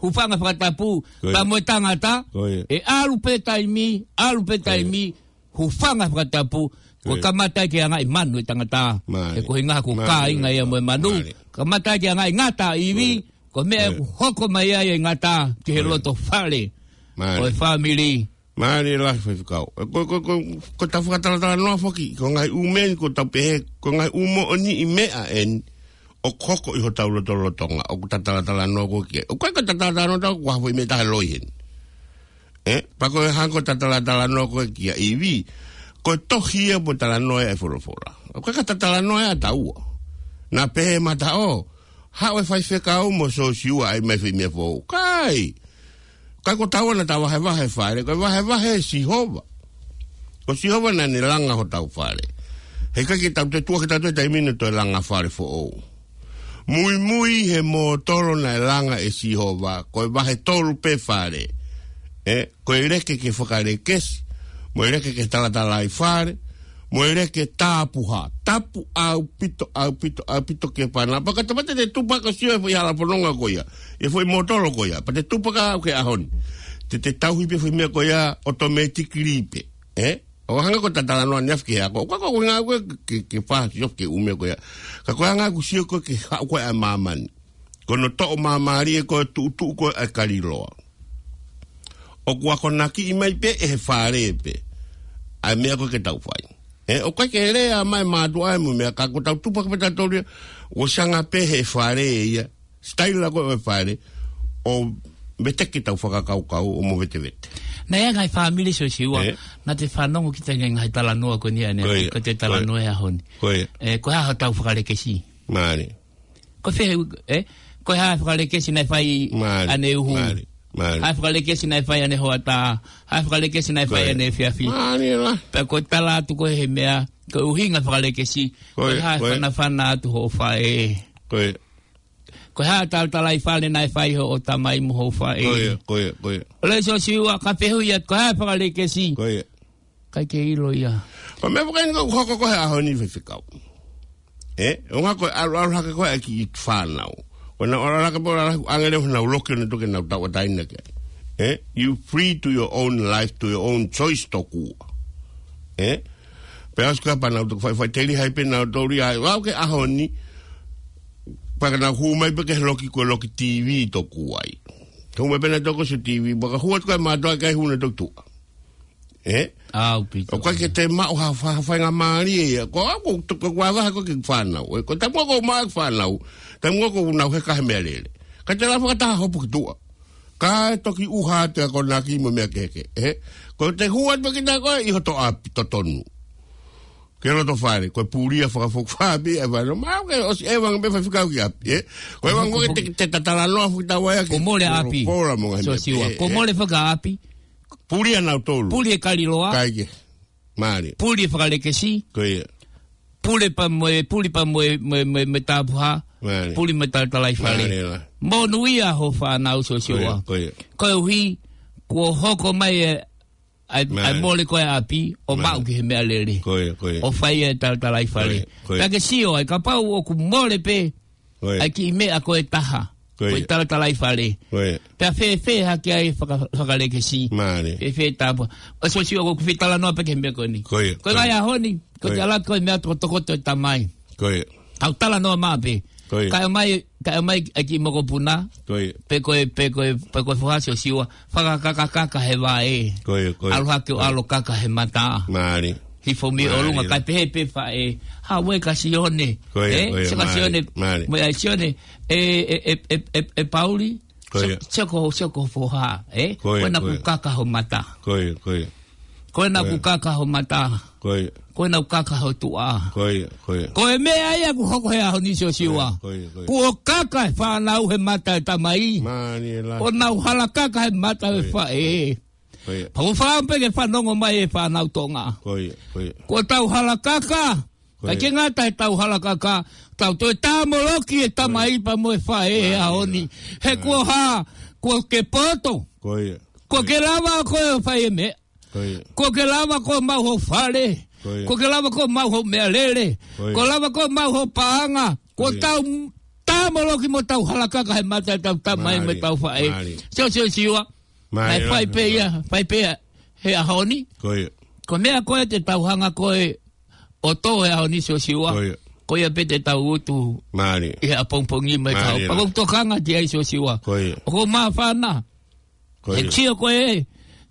hūfanga fakatapu, Ko ia. pea mo e tangata, Ko ia. ʻe ʻalu pē taimi, ʻalu pē Ko ia. taimi, hūfanga fakatapu, ko e Ko ia. kamata ke anga ʻi manu e tangata. Mālie. He ko e hinga ko Mālie. kāinga ia mo e manu. Mālie. Kamata ke anga ʻi ngata ivi, Mālie. ko e meʻa Mālie. ʻoku hoko mai ai e ngata ki he Mālie. loto fale. Mālie. Ko e fāmili. Mālie lahi faifekau. Ko, ko, ko, ko e tau fakatalatalanoa foki, ko e ngaahi ʻū meʻa ni ko e tau pehē, ko e ngaahi ʻū moʻoniʻi meʻa eni, ʻoku hoko ʻi hotau lotolotonga, ʻoku ta talatalanoa ko ē ki ai. ʻOku ʻikai ko e talatalanoa ʻoku ʻi ai ha foʻi meʻa taha loi heni. ʻE, pea ko e hangē ko e talatalanoa ko ē kia ivi, ko e tohi ia mo e talanoa ia e folofola. ʻOku ʻikai ko e talatalanoa ia ʻa taua. Naʻa pehē mataʻo, haʻu e faifekau mo Siosiua ʻai mai foʻi meʻa foʻou. ʻIkai. ʻIkai ko taua naʻa ta vahevahe fale, ko e vahevahe ʻe Sihova. Ko Sihova naʻa ne langa hotau fale. He ʻikai ke tau toe tuʻa ke tau toe taimi ni ʻo toe langa fale foʻou. Muimui he mōtolo naʻe langa ʻe Sihova, ko e vahe tolu pē fale. ʻE, ko e leke ke fakalekesi, mo e leke ke talatalaifale, mo e leke tapuhā. Tapu ʻaupito, ʻaupito, ʻaupito ki he fānau. Pea ka te mate te tupa ka sio e foʻi hala fononga ko ia. ʻI he foʻi mōtolo ko ia. Pea te tupa ka au ki he ʻaho ni. Te te tauhi pē foʻi meʻa ko ia, automatically pē. ʻE? ʻO hangē ko e talatalanoa ʻaneafi ki he ako. Ko e, ko e ngāue ko ē ke, ke fasi ofi ki he ʻū meʻa ko ia. Ka ko e ngāue ʻoku sio ko ē ki he haʻu ko ē ʻa māmani. Ko hono toʻo māmālie ko e tuʻutuʻu ko ē ʻa e kaliloa. ʻOku akonakiʻi mai pē ʻe he fale pē. ʻA e meʻa ko ē ke tau fai. ʻE, ʻoku ʻikai ke lea mai mātuʻa ʻe mo e meʻa ka ko ʻetau tupa ko ē pē tautolu ia. ʻOku ʻosi anga pē he fale ia. Sitaila ko ē ʻo e fale. ʻO veteki ʻetau fakakaukau ʻo mo vetevete. Naʻe ʻi ai e ngaahi fāmili Siosiua. ʻE? Naʻa te fanongo ki he ngaahi talanoa ko eni ʻaneafi, Ko ia. ko e Ko ia. talanoa e ʻaho ni. Ko ia. ʻE, ko e hā hotau fakalekesi. Mālie. Ko e fehuʻi, ʻe? Ko e hā e fakalekesi naʻe fai Mālie. ʻaneuhu. Mālie. Mālie. Hā e fakalekesi naʻe fai ʻanehoʻatā. Hā e fakalekesi naʻe Ko fai ia. ʻaneefiafi. Mālie lahi. Pea ko e tala atu ko ē he meʻa, ko e ʻuhinga fakalekesi. Ko Ko e ia, hā e ko ia. fanafana atu hoʻo faʻē. Ko ia. Ko e hā e talatalaifale naʻe fai hoʻo tamai mo hoʻo faʻē. Ko ia, ko ia, ko ia. ʻOleva Siosiua ka fehuʻi atu ko e hā e fakalekesi. Ko ia. ʻIkai ke ʻilo ia. Ko e meʻa foki eni ʻoku hoko ko ē he ʻaho ni faifekau. ʻE, ʻo ngā ko e ʻalu, ʻalu hake ko ē ʻa e kiʻi fānau. Ko ʻenau ʻalu hake pē ʻo ʻalu hake ʻange leva ʻenau loki ʻo nau toki nau tauʻatāina ki ai. ʻE, you free to your own life, to your own choice tokua. ʻE, pea ʻosi ko ē pea nau toki fai, fai teli hai pē nau toli ai. Vau ke ʻaho ni, pea ka nau hū mai pē ki he loki ko e loki T V tokua ai. Hū mai pē nau toki sio T V, pea ka hū atu ko ē mātuʻa ʻikai hū nau toki tuʻa. ʻE? ʻAupito. ʻOku ʻikai ke te maʻu ha fa-, ha faingamālie ia. Ko au, ko, ko, ko avaha ko e kiʻi fānau. ʻE, ko e taimi ko ē ʻoku maʻu e fānau. Taimi ko ē ʻoku nau heka he meʻalele. Ka te lava fakataha hopo ki tuʻa. Kae toki ʻuha atu e akonaki mo e meʻa kehekehe. ʻE? Ko e te hū atu ki tā ko ē ʻi hoto ʻapi totonu. Ki loto fale, ko e pulia fakafokifā pē ʻa e fānau. Mau ke ʻosi ʻeva ngā pē faifekau ki ʻapi, ʻe? Ko e vanga ko ē te, te tatalanoa fuʻu tau ai ʻaki. Ko mole ʻapi. Polopola mo ngā meʻa Siosiua. pē, Ko ʻe? mole fakaʻapi. Pulia nautolu. Puli e kaliloa. Kae kehe. Mālie. Puli e fakalekesi. Ko ia. Puli pea mo e, puli pea mo e, mo e, mo e, mo e tapuhā. Mālie. Puli mo e talatalaifale. Mālie lahi. Monūʻia hoʻo fānau Siosiua. Ko ia, ko ia. Koeʻuhi, kuo hoko mai e, ʻa e, ʻa e Mālie. mole ko ē ʻapi, ʻo Mālie. maʻu ki he meʻalele. Ko ia, ko ia. ʻO fai e talatalaifale. Ko ia, ko ia. Pea ke sio ai, kapau ʻoku mole pē, Ko ia. ʻa e kiʻi meʻa ko ē taha. Ko Ko e ia. talatalaifale. Ko ia. Pea fēfē hake ai faka-, fakalekesi. Mālie. Fēfē tāpua. ʻA Siosiua ʻoku fie talanoa pē ki he meʻa ko eni. Ko ia. Ko e Ko ia. ngaahi ʻaho ni, ko Ko ia. te ala ko e meʻa tokotokoto e tamai. Ko ia. Tau talanoa maʻu pē. Ko ia. Kae ʻomai, kae ʻomai e kiʻi mokopuna. Ko ia. Pe ko e, pe ko e, pe ko e foha Siosiua. Fakakakakaka he vaʻe. Ko ia, ko ia. ʻAlu hake ʻo Ko ia. ʻalu kaka he mata. Mālie. Hifo mei ʻolunga Mālie. kae pehē pē faʻē. Hā ue ka Sione. Ko ia, ʻE? ko ia, Sio ka mālie, Sione. mālie. Mo e ai Sione. ʻE, ʻe, ʻe, ʻe, ʻe, ʻe Pauli. Ko ia. Sio, sio ko, sio ko foha. ʻE? Ko ia, Ko ena ko ia. ku kaka ho mata. Ko ia, ko ia. Ko ena Ko ia. ku kaka ho mata. Ko ia. Ko ena ku kaka ho tuʻa. Ko ia, ko ia. Ko e meʻa ia ʻoku hoko he ʻaho ni Siosiua. Ko ia, ko ia, ko ia. Kuo kaka e fānau he mata e tamai. Mālie lahi. ʻO nau hala kaka he mata e Ko ia. faʻē. Ko ia. Pau fā pē ke fanongo mai e fānau Tonga. Ko ia, ko ia. Kuo tau hala kaka. Ko ia. ʻIkai ke ngata heʻetau halakaka, tau toe tāmoloki e tamai pea mo e faʻē he ʻaho ni. He kuo hā, kuo ke poto. Ko ia. Kuo ke lava koe ʻo fai e meʻa. Ko ia. Kuo ke lava koe ʻo maʻu ho fale. Ko ia. Kuo ke lava koe ʻo maʻu ho meʻalele. Ko ia. Kuo lava koe ʻo maʻu ho paʻanga. Kuo tau tāmoloki mo tau halakaka he mata ʻetau tamai mo ʻetau faʻē. Mālie. Sio, sio, sio. Mālie. Fai pē ia, fai pē ia he ʻaho ni. Ko ia. Ko e meʻa ko ē te tau hanga ko ē ʻo tō he ʻaho ni, Siosiua. Ko ia. Ko ia pē te tau utu ʻi he ʻapongipongi mai ka. Mālie. Pea ʻoku ou tokanga ki ai, Siosiua. Ko ia. ʻOku ou māfana. Ko ia. He sio ko ē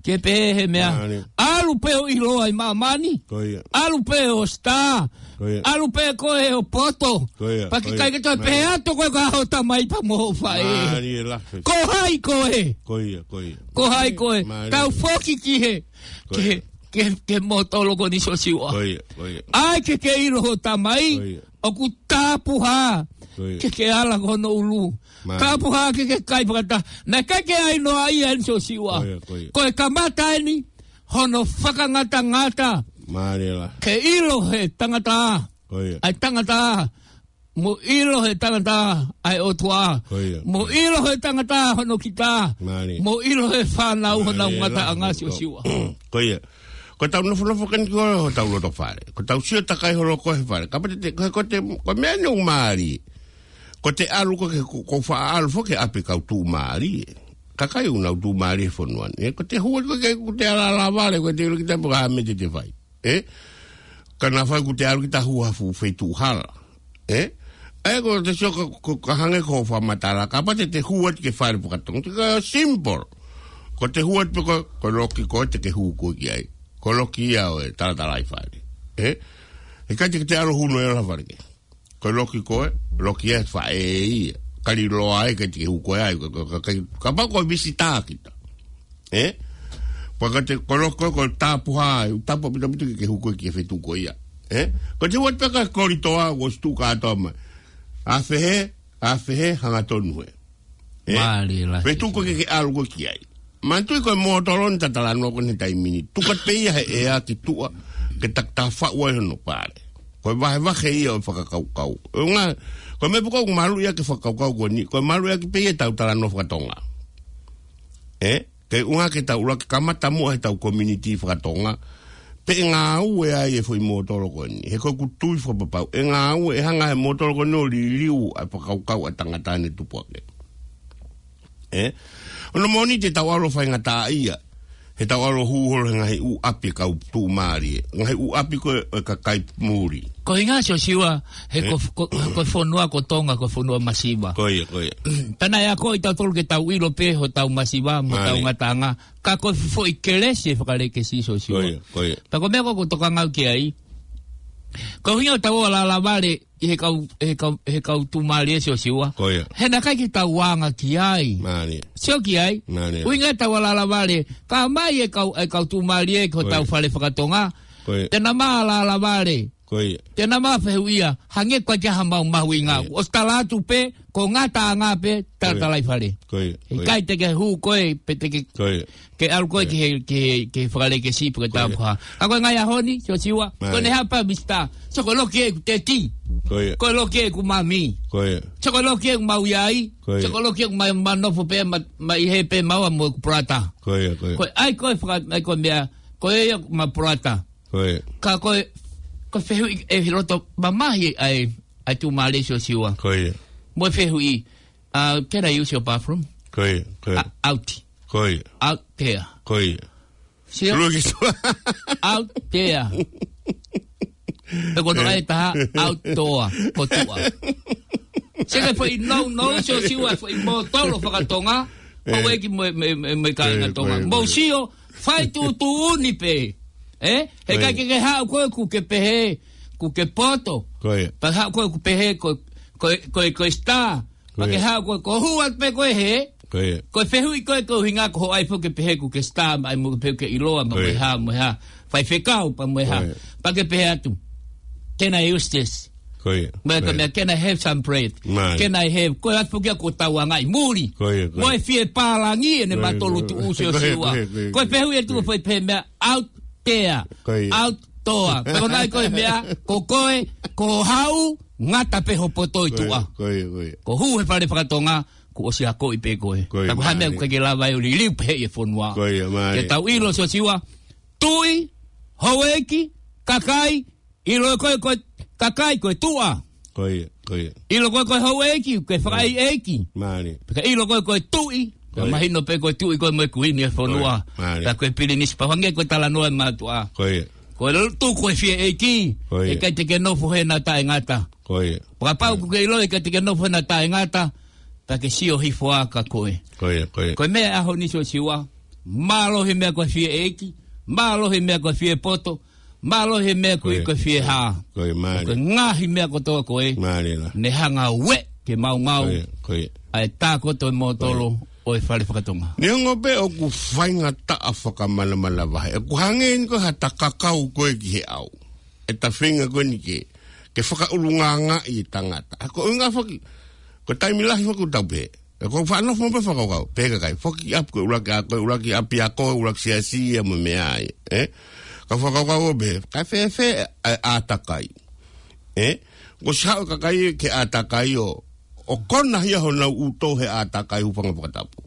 ke pehē he meʻa. Mālie. ʻAlu pē ʻo ʻiloa ʻi māmani. Ko ia. ʻAlu pē ʻo star. Ko ia. ʻAlu pē koe ʻo poto. Ko ia, ko ia. Pea ʻikai ke toe pehē atu koe ko ho tamai pea mo ho faʻē. Mālie lahi. Ko hai koe? Ko ia, ko ia. Ko hai koe? Mālie. Tau foki ki he, ki he, ki he, ki he mōtolo ko eni, Siosiua. Ko ia, ko ia. ʻAi ke ke ʻilo ho tamai. Ko ia. ʻOku tapuhā. Ko ia. Ke ke ala ki hono ʻulu. Mālie. Tapuhā ke ke kai fakataha. Naʻe ʻikai ke ʻai noa ia eni, Siosiua. Ko ia, ko ia. Ko e kamata eni hono fakangatangata. Mālie lahi. Ke ʻilo he tangata. Ko ia. ʻA e tangata. Mo ʻilo he tangata ʻa e ʻOtua. Ko ia. Mo ʻilo he tangata hono kita. Mālie. Mo ʻilo he fānau honau ngataʻanga, Siosiua. Mālie lahi. Ko ia. Ko ʻetau nofonofo ko eni ko ē hotau loto fale. Ko ʻetau sio takai holo ko ē he fale. Kapau te, ko, ko te, ko e meʻa eni ʻoku mālie. Ko ʻete ʻalu ko ē ke, ko, ko e faʻa ʻalu foki ki he ʻapi kau tuʻumālie. Kakai ʻoku nau tuʻumālie he fonua ni. Ko ʻete hū ko ē ke, ko ʻete ala lava leva, ko ʻete ʻilo kita pe ko e hā e meʻa te te fai. Ē? Ka naʻa fai ko ʻete ʻalu kita ʻo hū ha fuʻu feituʻu hala. Ē? ʻA ia ko ʻete sio ka, ka, ka hangē ko hoʻo fakamatala, kapau te te hū atu ki he fale fakatonga. Te ka simple. Ko ʻete hū atu pē ko, ko e loki ko ē te ke hū ko ē ki ai. Ko e loki ia ʻo e talatalaifale. Ē? ʻIkai te ke te ʻalu ʻo hū noa ʻi ha fale kehe. Ko e loki ko ē, loki ʻa e faʻē ia. Kali loa ai ʻikai te ke hū ko ē ai, ka, ka, ka, ka, kapau ko e visitā kita. Ē? Pea ko ʻete, ko e loki ko ē, ko e tapuhā, ʻū tapu ʻapitapita ke ke hū ko ē ki he feituʻu ko ia. Ē? Ko ʻete hū atu pē ki he kolitoa, ʻosi tuʻu kātoa mai. ʻAfē hē, ʻafē hē, hangatonu hē. Ē? Mālie lahi. Feituʻu ko ē ke ke ʻalu ko ē ki ai. Manatuʻi ko e mōtolo ni ʻoku ta talanoa ko eni he taimi ni. Tuku atu pē ia he ʻea ki tuʻa, ke takitaha faʻu ai hono pale. Ko e vahevahe ia ʻo e fakakaukau. ʻUhinga, ko e meʻa pē ko ē ʻoku maluʻi ʻaki e fakakaukau ko eni, ko e maluʻi ʻaki pē ia ʻetau talanoa fakatonga. Ē? Ke ʻuhinga ke tau ʻuluaki kamata muʻa heʻetau community fakatonga, pe ʻe ngāue ai e foʻi mōtolo ko eni. He ko ʻeku tui fakapapau, ʻe ngāue, ʻe hanga ʻe he mōtolo ko eni ʻo liliu ʻa e fakakaukau ʻa e tangata ne tupu ake. Ē? ʻOku moʻoni te tau ʻalu ʻo faingataʻaʻia, he tau ʻalu ʻo hū holo he ngaahi ʻū ʻapi kau tuʻumālie. Ngaahi ʻū ʻapi ko ē ʻo e kakai muli. Ko e ʻuhinga, Siosiua, he ko, ko, ko e fonua ko Tonga, ko e fonua masiva. Ko ia, ko ia. Pea naʻe akoʻi kitautolu ke tau ʻilo pē hotau masiva, mo hotau ngataʻanga. Ka ko e foʻi kelesi ʻa e fakalēkesi, Siosiua. Ko ia, ko ia. Pea ko e meʻa ko ē ʻoku ou tokanga au ki ai. Ko e ʻuhinga ʻoku tau ō ʻo lālāvale ʻi he kau, he kau, he kau tuʻumālie, Siosiua. Ko ia. He naʻe ʻikai ke tau anga ki ai. Mālie. Sio ki ai. Mālie. ʻUhinga ʻetau lālāvale, ka mai e kau, e kau tuʻumālie ki hotau fale fakatonga. Ko ia. Te na mā lālāvale. Ko ia. Te na mā fehuʻia, hangē ko e ʻikai ke ʻi ai ha mahuʻinga. Ko ia. ʻOsi tala atu pē, ko e ngataʻanga pē, talatalaifale. Ko ia. Ko ia. ʻIkai te ke hū koe, pe te ke, ko ia, ke ʻalu koe ki he, ki he, ki he fakalēkesi pe ko e tapuhā. Ka ko e ngaahi ʻaho ni, Siosiua, ko ʻene hapa, Mister. Sio ko e loki ʻeku teti. Ko ia. Ko e loki ʻeku mami. Ko ia. Sio ko e loki ʻeku mau ʻi ai. Ko ia. Sio ko e loki ʻeku ma, ma nofo pē, ma, ma ʻi hē pē maua mo ʻeku brother. Ko ia, ko ia. Ko e ʻai ko e faka, ʻai ko e meʻa, ko e ia ma brother. Ko ia. Ka ko e, ko e fehuʻi ʻe he loto mamahi ʻa e, ʻa e tuʻumālie, Siosiua. Ko ia. Mo e fehuʻi, uh, can I use your bathroom? Ko ia, ko ia. Uh, out. Ko ia. Out there. Ko ia. Sio? Lua ki sua. Out there. Pe ko e ʻai taha, outdoor, ko tuʻa. Sio ki he foʻi nounou, Siosiua, foʻi mōtolo fakatonga. Ko e, ʻEiki mo e, mo e, mo e, mo e kāinga Tonga. Ko e, ko e. Mou sio, fai tuʻutuʻuni pē. Ē? He ʻikai ke ke haʻu koe ʻoku ke pehē, ʻoku ke poto. Ko ia. Pea haʻu koe ʻoku pehē, ko, ko, ko, ko e star. Pea ke haʻu koe, ko e hū atu pē koe hē. Ko ia. Ko e fehuʻi ko ē ko e ʻuhinga ko hoʻo ʻai foki ke pehē ʻoku ke star, mai mo ke pehē ʻoku ke ʻiloa, mo e hā, mo e hā. Faifekau, pea mo e hā. Ko ia. Pea ke pehē atu. Can I use this? Ko ia. Mo e ka meʻa, can I have some bread? Mālie. Can I have, ko e atu foki ʻoku tau anga ʻi muli. Ko ia, ko ia. Mo e fie pālangi ʻene matolu tuʻu, Siosiua. Ko ia, ko ia, ko ia. Ko e fehuʻi atu ko e foʻi pehē meʻa, out there. Ko ia. Out Toa, pe ko e ʻai ko e meʻa, ko koe, Ko hau, ngata pē ho poto ʻi tuʻa. Ko ia, ko ia. Ko hū he fale fakatonga, kuo ʻosi akoʻi pē koe. Ko ia, mālie. Ka ko e hā e meʻa ʻoku ʻikai ke lava ai ʻo liliu pehē ʻi he fonua. Ko ia, mālie. Ke tau ʻilo Siosiua, tuʻi, houʻeiki, kakai, ʻilo ko e, ko e kakai ko e tuʻa. Ko ia, ko ia. ʻIlo ko e, ko e houʻeiki, ko e fakaʻeiʻeiki. Mālie. Pea ka ʻilo ko e, ko e tuʻi, ko ia, mahino pē ko e tuʻi ko e mo e kuini ʻo e fonua. Ko ia, mālie. Pea ko e pilinisi pau hangē ko e talanoa ʻa e mātuʻa. Ko ia. Ko e lotu ko e fie ʻeiki, ko ia, ʻikai te ke nofo hena taʻengata. Ko ia. Kapau ʻoku ke ʻilo ʻikai te ke nofo hena taʻengata, pea ke sio hifo ā kia koe. Ko ia, ko ia. Ko e meʻa ʻaho ni Siosiua, mālō he meʻa ko e fie ʻeiki, mālō he meʻa ko e fie poto, mālō he meʻa ko e, ko ia, ko e fie hā. Ko ia, mālie. Ko e ngaahi meʻa kotoa ko ē, mālie lā, ne hanga ʻo ueʻi ke maumau, ko ia, ko ia, ʻa e tākoto ʻo e mōtolo, ko ia, ʻo e fale fakatonga. Neongo pē ʻoku faingataʻa fakamanamanavahe, ʻoku hangē eni ko ha ta kakau ko ē ki he ʻau. ʻE ta feinga ko eni ke, ke fakaʻulungaangaʻi e tangata. ʻA ko e ʻuhinga foki, ko e taimi lahi foki ʻoku tau pehē, ʻe, ko e faʻa nofo mo pē fakakaukau, pehē kakai, foki ʻapi ko e ʻuluaki, ʻa ko e ʻuluaki ʻapiako, ʻuluaki siasi ia mo e meʻa ia, ē? Ka fakakaukau ʻo pehē, kae fēfē ʻa e ʻātakai, ē? Kuo ʻosi haʻu e kakai ki he ʻātakai ʻo, ʻo konahia honau ʻuto he ʻātakai, hūfanga he fakatapu.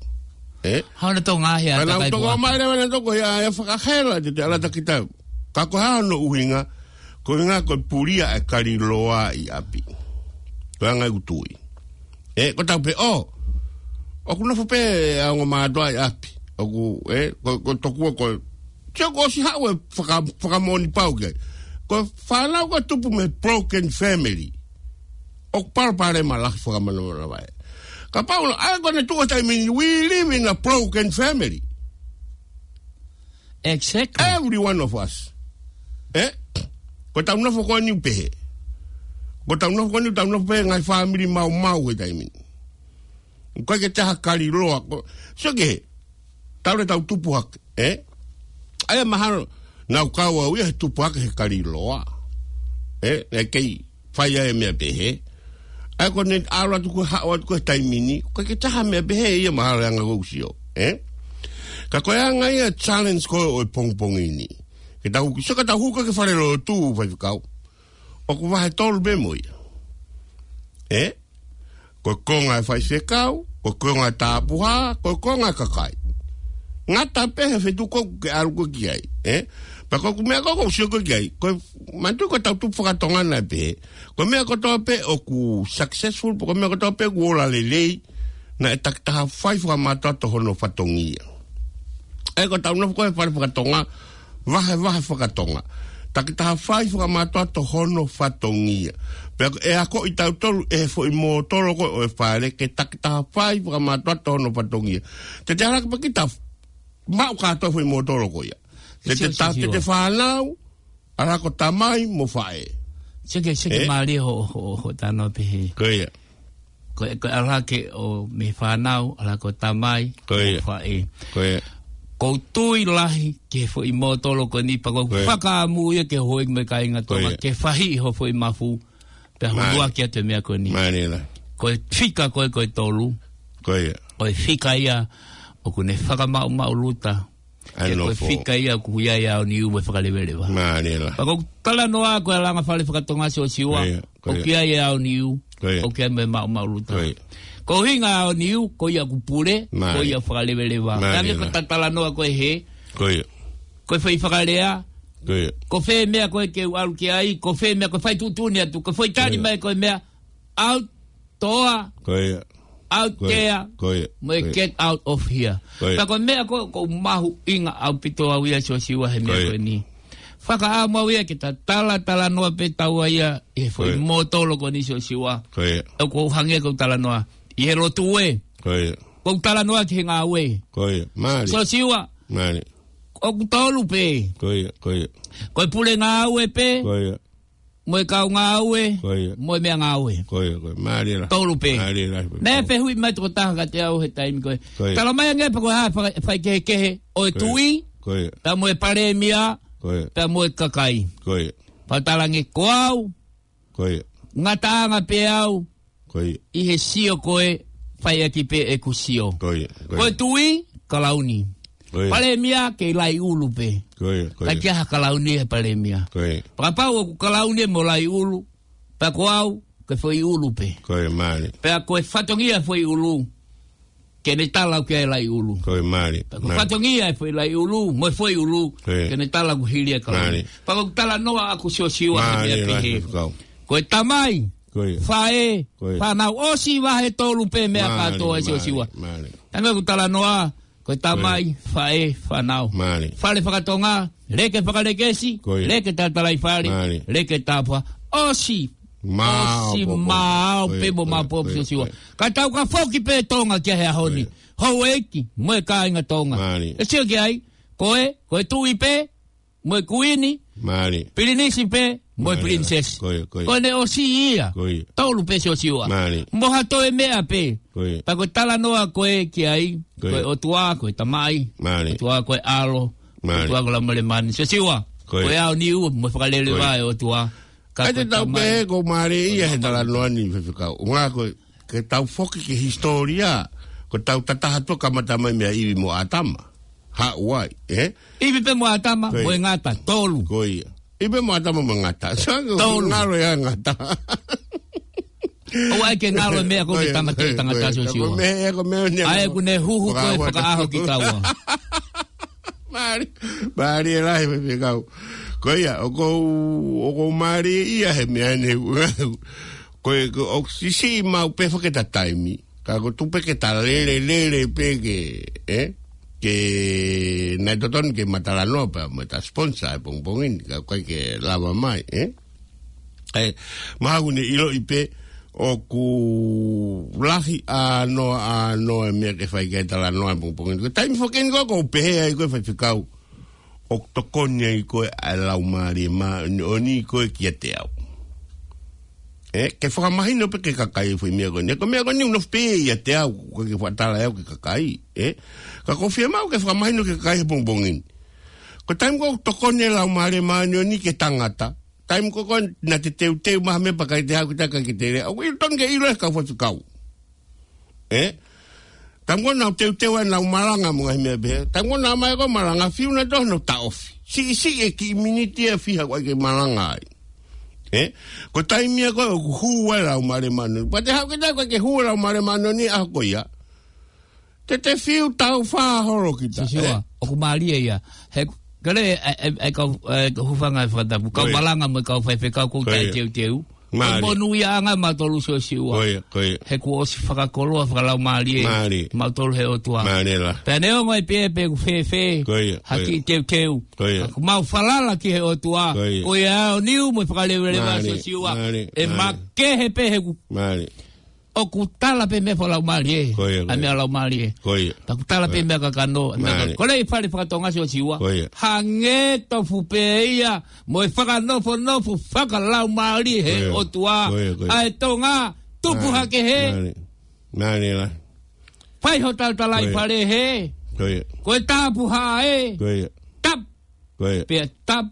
Ē? Hā honau tō ngaahi ʻātakai kuo ʻomai leva nautolu ia, ia fakahela te te ala takita. Ka ko e hā hono ʻuhinga, ko e ʻuhinga ko e pulia e kaliloa ʻi ʻapi. Ko e anga ʻeku tui. Ē, ko ʻetau pehē, ʻō, ʻoku nofo pē ʻa e ongo mātuʻa ʻi ʻapi. ʻOku, ē, ko, ko tokua ko e, sio kuo ʻosi haʻu e faka-, fakamoʻoni pau ki ai. Ko e fānau ko ē tupu mei he broken family, ʻoku palopalema lahi fakamanamanavahe. Kapau lā, ʻa ia ko ʻene tuʻu he taimi ni, we live in a broken family. Exactly. Every one of us. Ē? Ko ʻetau nofo ko eni ʻoku pehē. Ko ʻetau nofo ko eni, ʻetau nofo pē ngaahi fāmili maumau he taimi ni. ʻOku ʻikai ke ʻi ai ha kaliloa, ko, sio ki he, talu ʻetau tupu hake, ē? ʻA ia mahalo naʻa ku kau au ia he tupu hake he kaliloa. Ē? Naʻe kei fai ai e meʻa pehē. ʻA ia ko ʻene ʻalu atu ko ē, haʻu atu ko ē he taimi ni, ʻoku ʻikai ke ʻi ai ha meʻa pehē ia mahalo he anga ʻoku ou sio, ē? Ka ko e anga ia e challenge ko ē ʻo e pongipongi ni. Ke tau, sio ka tau hū ko ē ki he falelotu, faifekau. ʻOku vahe tolu pē mo ia. Ē? Ko e konga e faifekau, ko e konga e tapuhā, ko e konga e kakai. Ngata pē he feituʻu ko ē ʻoku ke ʻalu ko ē ki ai, ē? Pea ko ʻeku meʻa ko ē ʻoku ou sio ko ē ki ai, ko e, manatuʻi ko ʻetau tupu fakatonga naʻe pehē, ko e meʻa kotoa pē ʻoku successful, ko e meʻa kotoa pē ʻoku ola lelei, naʻe takitaha fai fakamātoato hono fatongia. ʻA ia ko ʻetau nofo ko ē he fale fakatonga, vahevahe fakatonga. Takitaha fai fakamātoato hono fatongia. Pea ʻe akoʻi kitautolu ʻe he foʻi mōtolo ko ē ʻo e fale ke takitaha fai fakamātoato hono fatongia. Te te ʻalu hake pea kita maʻu kātoa e foʻi mōtolo ko ia. Te te, sio, sio, ta-, te te fānau, ʻalu hake ko e tamai mo e faʻē. Seke, seke, ē? Mālie ho, ho, ho talanoa pehē. Ko ia. Ko e, ko e ʻalu hake ʻo mei he fānau, ʻalu hake ko e tamai, ko ia, mo e faʻē. Ko ia. ʻOku ou tui lahi ki he foʻi mōtolo ko eni pea ʻoku, ko ia, fakaʻamu ia ki he houʻeiki mo e kāinga Tonga, ko ia, ke fahiʻi ho foʻi mafu, pea, mālie, huluaki atu e meʻa ko eni. Mālie lā. Ko e fika ko ē ko e tolu. Ko ia. Ko e fika ia ʻoku ne fakamaʻumaʻuluta. ʻA e, ke ko e nofo, fika ia ʻoku ʻi ai e aoniu mo e fakaleveleva. Mālie lā. Pea ko ʻeku talanoa ko e ʻalunga fale fakatonga Siosiua, ko ia, ko ia, ʻoku ʻi ai e aoniu, ko ia, ʻoku ʻi ai mo e maʻumaʻuluta. Ko ia. Ko e ʻuhinga e aoniu, ko ia ʻoku pule, mālie, ko ia ʻoku fakaleveleva. Mālie lā. Hangē ko ʻeta talanoa ko ē hē, ko ia, ko e fai fakalea, ko ia, ko fē meʻa ko ē ke u ʻalu ki ai, ko fē meʻa ko e fai tuʻutuʻuni atu, ko e foʻi tali, ko ia, mai ko e meʻa, out, toa, ko ia, out, ko ia, there, ko ia, mo e, ko ia, get out of here. Ko ia. Pea ko e meʻa ko ē ʻoku ou mahuʻinga ʻaupito au ia Siosiua he, ko ia, meʻa ko eni. Fakaʻamu au ia ke ta talatalanoa pē taua ia ʻi he foʻi, ko ia, mōtolo ko eni Siosiua. Ko ia. ʻOku ou hangē ko ʻeku talanoa ʻi he lotu ē. Ko ia. ʻOku ou talanoa ki he ngāue. Ko ia. Mālie. Siosiua. Mālie. ʻOku tolu pē. Ko ia, ko ia. Ko e pule ngāue pē. Ko ia. Mo e kau ngāue, ko ia, mo e meʻangāue. Ko ia, ko ia. Mālie lā. Tolu pē. Mālie lā. Naʻe fehuʻi mai tokotaha kiate au he taimi ko ē. Ko ia. Tala mai ange pē ko e hā e faka-, faikehekehe ʻo e, ko ia, tuʻi, ko ia, pea mo e palēmia, ko ia, pea mo e kakai. Ko ia. Pea u tala ange ko au, ko ia, ngataʻanga pē au, ko ia, ʻi he sio ko ē fai ʻaki pē ʻeku sio. Ko ia, ko ia. Ko e tuʻi, kalauni. Ko ia. Palēmia, kei laiʻulu pē. Ko ia, ko ia. ʻIkai ke ʻi ai ha kalauni he palēmia. Ko ia. Pea kapau ʻoku kalauni mo laiʻulu, Pea ko au, ko e foʻi ʻulu pē. Ko ia, mālie. Pea ko e fatongia e foʻi ʻulu, ke ne tala au ki ai e laʻi ʻulu. Ko ia, mālie. Pea ko e fatongia e foʻi laʻi ʻulu, mo e foʻi ʻulu, ko ia, ke ne tala au ki hili e kalauni. Mālie. Pea ko e talanoa ʻaʻaku Siosiua he meʻa pehē. Mālie, mālie, Faifekau. Ko e tamai, ko ia, faʻē, ko ia, fānau, ʻosi vahe tolu pē meʻa kātoa, mālie, Siosiua. Mālie, mālie. Hangē ko e talanoa, ko e tamai, ko ia, faʻē, fānau. Mālie. Fale fakatonga, leke fakalekesi, ko ia, leke tatalaifale, mālie, leke tapuhā. ʻOsi, mālie, ʻosi, mālie, mālie, ko ia, pē mo, ko ia, mālie, ko ia, Siosiua. Ko ia. Ka tau ka foki pē Tonga ki he ʻaho ni. Ko ia. Houʻeiki, mo e kāinga Tonga. Mālie. ʻE sio ki ai, ko e, ko e tuʻi pē, mo e kuini, mālie, pilinisi pē, mo e, mālie, pilinisesi. Ko ia, ko ia. Ko ʻene ʻosi ia. Ko ia. Tolu pē Siosiua. Mālie. Mo ha toe meʻa pē. Ko ia. Pea ko e talanoa ko ē ki ai, ko ia, ko e ʻOtua, ko e Tamai. Mālie. ʻOtua ko e ʻAlo. Mālie. ʻOtua ko e Laumālie Māʻoniʻoni. Siosiua. Ko ia. Ko e aoniu, mo e fakaleleva, ko ia, ʻo e ʻOtua. Ka ʻai ko e te tau tamai pehē ʻoku mālie ia he talanoa ni, Faifekau. ʻUhinga ko e ke tau foki ki he hisitōlia, ko ʻetau tataha tuʻa kamata mai meia ʻIvi mo ʻĀtama. Haʻu ai, ē? ʻIvi pē mo ʻĀtama, ko ia, mo e ngata, tolu. Ko ia. ʻIvi pē mo ʻĀtama mo e ngata. Sa ko, tolu, ngalo ia ngata. ʻOua ʻe ke ngalo e meʻa ko ē, ko ia, ke tāmateʻi e tangata, ko ia, Siosiua. Ko e meʻa, ko e meʻa ni ʻa ē ʻoku ne huhu ko ē fakaʻaho ki taua. Mālie, mālie lahi, Faifekau. Ko ia, ʻoku ou, ʻoku ou mālieʻia he meʻa ni. Ko e, ko e ʻoku siʻisiʻi maʻu pē foki ʻeta taimi. Ka ʻoku tuʻu pē ke ta lele, lele pē ke, ē? Ke, naʻe totonu ke ma talanoa pē mo ʻeta sponsor he pongipongi ni, ka ʻoku ʻikai ke lava mai, ē? ʻE, mahalo ʻoku ne ʻiloʻi pē ʻoku lahi ʻa noa, ʻa noa e meʻa ke fai ki ai e talanoa he pongipongi ni. Ko e taimi foki eni ko ē ʻoku ou pehē ai ko ē, Faifekau, ʻoku tokoni ai ko ē ʻa e Laumālie Māʻoniʻoni ko ē kiate au. Ē, ke fakamahino pē ki he kakai e foʻi meʻa ko eni. Ko e meʻa ko eni ʻoku nofo pē ʻiate au, ʻoku ʻikai ke fakatala ʻe au ki he kakai, ē. Ka ʻoku ou fiemaʻu ke fakamahino ki he kakai he pongipongi ni. Ko e taimi ko ē ʻoku tokoni e Laumālie Māʻoniʻoni ki he tangata, taimi ko ē ko ē naʻa te teuteu mai ha meʻa pea ʻikai te haʻu kita, ʻikai ke te lea. ʻOku ʻi ai, totonu ke ʻilo ʻe he kau faifekau. Ē? Taimi ko ē naʻa nau teuteu ai ʻenau malanga mo e ngaahi meʻa pehē. Taimi ko ē naʻa nau ō mai ko ē ʻo malanga, fiu naʻa nau toe ʻosi ʻo taʻofi. Siʻisiʻi e kiʻi miniti ʻe fiha ʻoku ʻikai ke malanga ai. Ē? Ko e taimi ia ko ē ʻoku hū ai e Laumālie Māʻoniʻoni. Pea te haʻu kita, ʻikai ke hū e Laumālie Māʻoniʻoni he ʻaho ko ia, te te fiu taʻu fā holo kita. Siosiua, ē? ʻOku mālie ia. He, kole, ʻe, ʻe, ʻe kau, ʻe, kau hūfanga he fakatapu. Kau, ko ia, malanga mo e kau faifekau ʻoku, ko ia, taʻeteuteu. Mālie. Ko e monūʻiaʻanga mautolu, Siosiua. Ko ia, ko ia. He kuo ʻosi fakakoloa fakalaumālie, mālie, mautolu he ʻOtua. Mālie lahi. Pea neongo e pē pe ʻoku fēfē, ko ia, ha, ko ia, kiʻi teuteu, ko ia, ka ʻoku mau falala ki he ʻOtua. Ko ia. Ko e aoniu mo e fakaleveleva, mālie, Siosiua. Mālie, ʻe, mālie, makehe pē he ʻoku, mālie, ʻoku tala pē meʻa fakalaumālie. Ko ia, ko ia. ʻA e meʻa laumālie. Ko ia. Pea ʻoku tala pē, ko ia, meʻa kakano, ʻa e meʻa, mālie, ka-, kole e fale fakatonga, Siosiua. Ko ia. Hangē tofu pē ia mo e fakanofonofo fakalaumālie he, ko ia, ʻOtua. Ko ia, ko ia. ʻA e Tonga, tupu, mālie, hake hē. Mālie. Mālie lahi. Fai ho talatalaifale, ko ia, hē. Ko ia. Ko e tapuhā ē. Ko ia. Tap. Ko ia. Pea tap.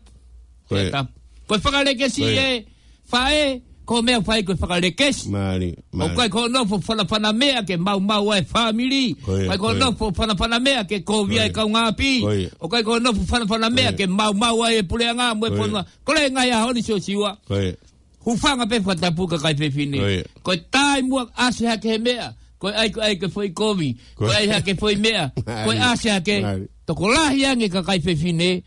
Ko ia. Pea tap. Ko e fakalekesi, ko ia, ē, faʻē, ko e meʻa ʻoku fai ko e fakalekesi. Mālie, mālie. ʻOku ʻikai ko hoʻo nofo fanafana meʻa ke maumau ai e fāmili. Ko ia, ko ia. ʻIkai ko hoʻo nofo fanafana meʻa ke kovi ai, ko ia, e kaungāʻapi. Ko ia. ʻOku ʻikai ko hoʻo nofo fanafana meʻa, ko ia, ke maumau ai e puleʻanga mo e, ko ia, fonua. Kole e ngaahi ʻaho ni, Siosiua. Ko ia. Hūfanga pē he fakatapu, kakai fefine. Ko ia. Ko e taimi ʻoku ʻasi hake he meʻa, ko e ʻai, ko e ʻai ko e foʻi kovi, ko e, ko e ʻai hake e foʻi meʻa, mālie, ko e ʻasi hake. Mālie. Tokolahi ange kakai fefine,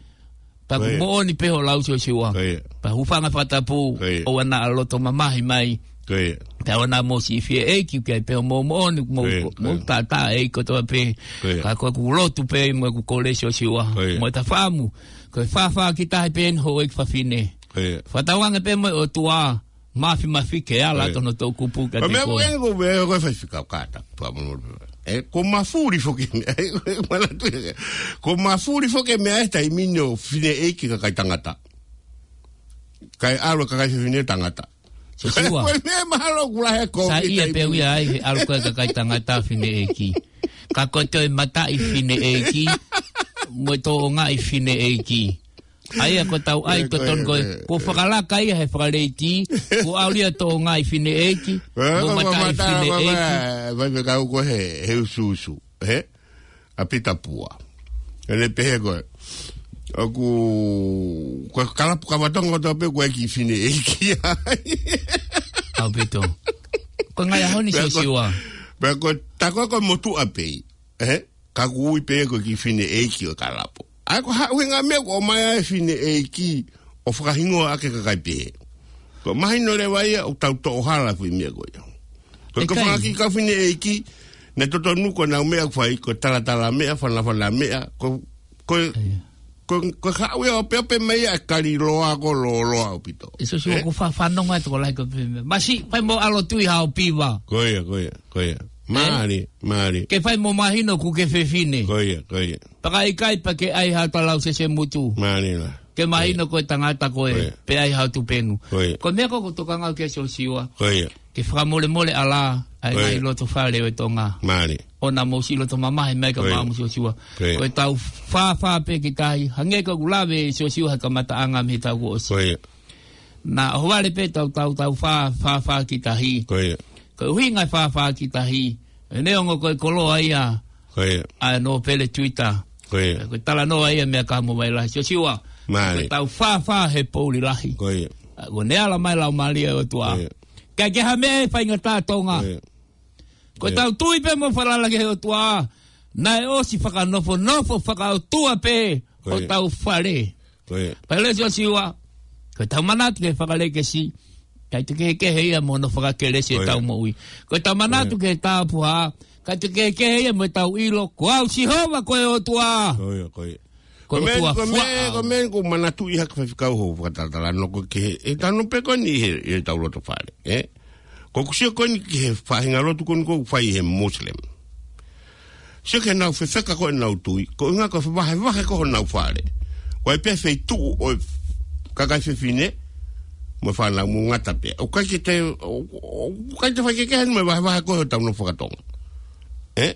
pea, ko ia, ʻoku moʻoni pē hoʻo lau, Siosiua. Ko ia. Pea hūfanga he fakatapu, ko ia, ʻoua naʻa loto mamahi mai. Ko ia. Pea ʻoua naʻa mou siʻi fie ʻeiki, ʻoku ʻi ai pē hoʻomou moʻoni, mou, ko ia, ko ia, mou tātā ʻeiki kotoa pē. Ko ia. Ka ko ʻeku lotu pē mo ʻeku kole, Siosiua. Ko ia. Mo e tafamu, ko e fāfā ki tahi pē eni houʻeiki fafine. Ko ia. Fakatauange pē mo e ʻOtua, mafimafi ke ala, ko ia, atu hono toʻukupu kiate koe. Ko e meʻa ko ē ʻoku ou pehē ko ē, Faifekau, kātaki, pea mo, ē, ʻoku mafuli foki e meʻa, ē, ʻoku ou manatu ia. ʻOku mafuli foki e meʻa he taimi ni ʻo fineʻeiki kakai tangata. Kae ʻalu e kakai fefine tangata. Siosiua. Ko e meʻa mahalo ʻoku lahi e kovi. Saiʻia pē ia ai he ʻalu ko ē e kakai tangata fineʻeiki. Ka ko e toe mataʻi fineʻeiki, mo e toʻongaʻi fineʻeiki. ʻA ia ko ʻetau ʻai, ē, ko e, totonu ko ē, ē, kuo fakalaka ia he fakaleiti, kuo ʻalu ia e toʻongaʻi fineʻeiki, ē, mo e mataʻi fineʻeiki. Faifekau, ko e, he usuusu, ē? ʻA Pita Pua. ʻEne pehē ko ē, ʻoku, ko e kalapu kava Tonga kotoa pē ʻoku ʻi ai e kiʻi fineʻeiki ai. ʻAupito. Ko e ngaahi ʻaho ni, Pea ko, Siosiua. pea ko, tā ko e ko e motuʻa pē ia. Ē? Ka ʻoku ui pē ko e kiʻi fineʻeiki ʻo e kalapu. ʻA ia ko e hā e ʻuhinga e meʻa ʻoku ʻomai ai e fineʻeiki ʻo fakahingoa ʻaki e kakai pehē. Ko e mahino leva ia ʻoku tau toʻo hala e foʻi meʻa ko ia. Ko e ʻIkai. kau fanga kiʻi kau fineʻeiki, naʻe totonu ko ʻenau meʻa ʻoku fai, ko e talatala meʻa, fanafana meʻa, ko, ko, ʻIa. ko, ko e haʻu ia ʻo opeope mai ia e kaliloa ko e lōloa ʻaupito. ʻE Siosiua, Ē? ʻoku ou fa-, fanongo atu ko e lahi ko e pehē meʻa. Masi, fai mo ʻAlo Tui hao piva. Ko ia, ko ia, ko ia. Ē? Mālie, mālie. Ke fai mo mahino ʻoku ke fefine. Ko ia, ko ia. Pea ka ʻikai pea ke ʻai ha talau sese mutu. Mālie la. Ke mahino Ko ia. ko e tangata koe, Ko ia. pe ʻai hao tupenu. Ko ia. Ko e meʻa ko ē ʻoku ou tokanga au ki ai Siosiua. Ko ia. Ke fakamolemole ʻalā, ʻa e Ko ia. ngaahi loto fale ʻo e Tonga. Mālie. ʻO naʻa mou siʻi loto mamahi mai ka Ko ia. maʻa mo Siosiua. Ko ia. Ko e tau fāfā pē ki tahi, hangē ko ʻeku lave Siosiua he kamataʻanga mei he taʻu kuo ʻosi. Ko ia. Naʻa ʻohovale pē tau, tau, tau fā, fāfā ki tahi. Ko ia. Ko e ʻuhinga e fāfā ki tahi. ʻE neongo ko e koloa ia. Ko ia. ʻA e nōpele tuita. Ko ia. Ko e talanoa ia meʻa ka mo vai lahi. Siosiua. Mālie. Ko e tau fāfā he poʻuli lahi. Ko ia. ʻA, ko ʻene ala mai e Laumālie ʻo e ʻOtua. Ko ia. Kae kehe ha meʻa ʻe faingataʻa Tonga. Ko ia. Ko e Ko ia. tau tui pē mo falala ki he ʻOtua. Naʻe ʻosi fakanofonofo fakaʻotua pē Ko ia. hotau fale. Ko ia. Pea lea Siosiua, ko e tau manatu ki he fakalekesi, ʻikai te kehekehe ia mo hono fakakelesi Ko ia. ʻetau moʻui. Ko e tau manatu Ko ia. ki he tāpuhā, ʻikai te kehekehe ia mo ʻetau ʻilo, ko au Sihova ko e ʻOtua. Ko ia, ko ia. Ko e Ko e meʻa, ʻOtua ko e meʻa, fuaʻa. ko e meʻa ʻoku ou manatuʻi hake Faifekau hoʻo fakatalatala noa ko ē ki he, ʻe tanu pē ko eni he, he tau loto fale, ē? Ko ʻeku sio ko eni ki he faʻahinga lotu ko eni ʻoku fai he Muslim. Sio ki heʻenau fefeka ko ē ʻenau tui, ko e ʻuhinga ko e fevahevahe ko ē honau fale. ʻOku ʻi ai pē feituʻu ʻo e kakai fefine, mo e fānau mo ngata pē. ʻOku ʻikai ke te, ʻo, ʻo, ʻoku ʻikai te faikehekehe mo e vahevahe ko ē hotau nofo faka-Tonga. Ē?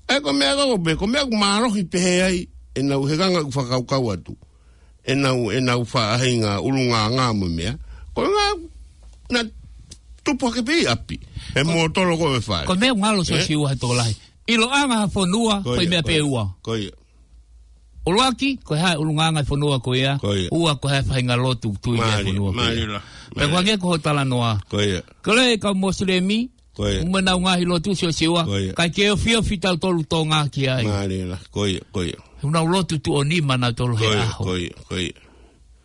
ʻA ia ko e meʻa ko ē, ko e meʻa ʻoku mālohi pehē ai, ʻenau he ngaahi fakakaukau atu. ʻenau, ʻenau faʻahinga ʻulungaanga mo e meʻa. Ko e ʻuhinga naʻe tupu hake pē ʻi ʻapi. He Ko, mōtolo ko ē ʻo e fale. ko e meʻa ʻoku ngalo Ē? Siosiua he tokolahi. ʻIloʻanga ha fonua, Ko ko e ia, meʻa ko pē ia. ua. Ko ia. ʻUluaki, ko e hā e ʻulungaanga e fonua ko ia. Ko ia. Ua, ko e hā e faʻahinga lotu tui ki he Mālie, fonua ko ia. mālie la. Pea ko Mālie. hangē ko hoʻo talanoa. Ko ia. Ko e kau Mosilemi, Ko ia. mo ʻenau ngaahi lotu Siosiua, Ko ia. ʻikai ke ofiofi tautolu Tonga ki ai. Mālie la, ko ia, ko ia. He ʻoku nau lotu tuʻo nima nautolu he Ko ia, ʻaho. ko ia, ko ia.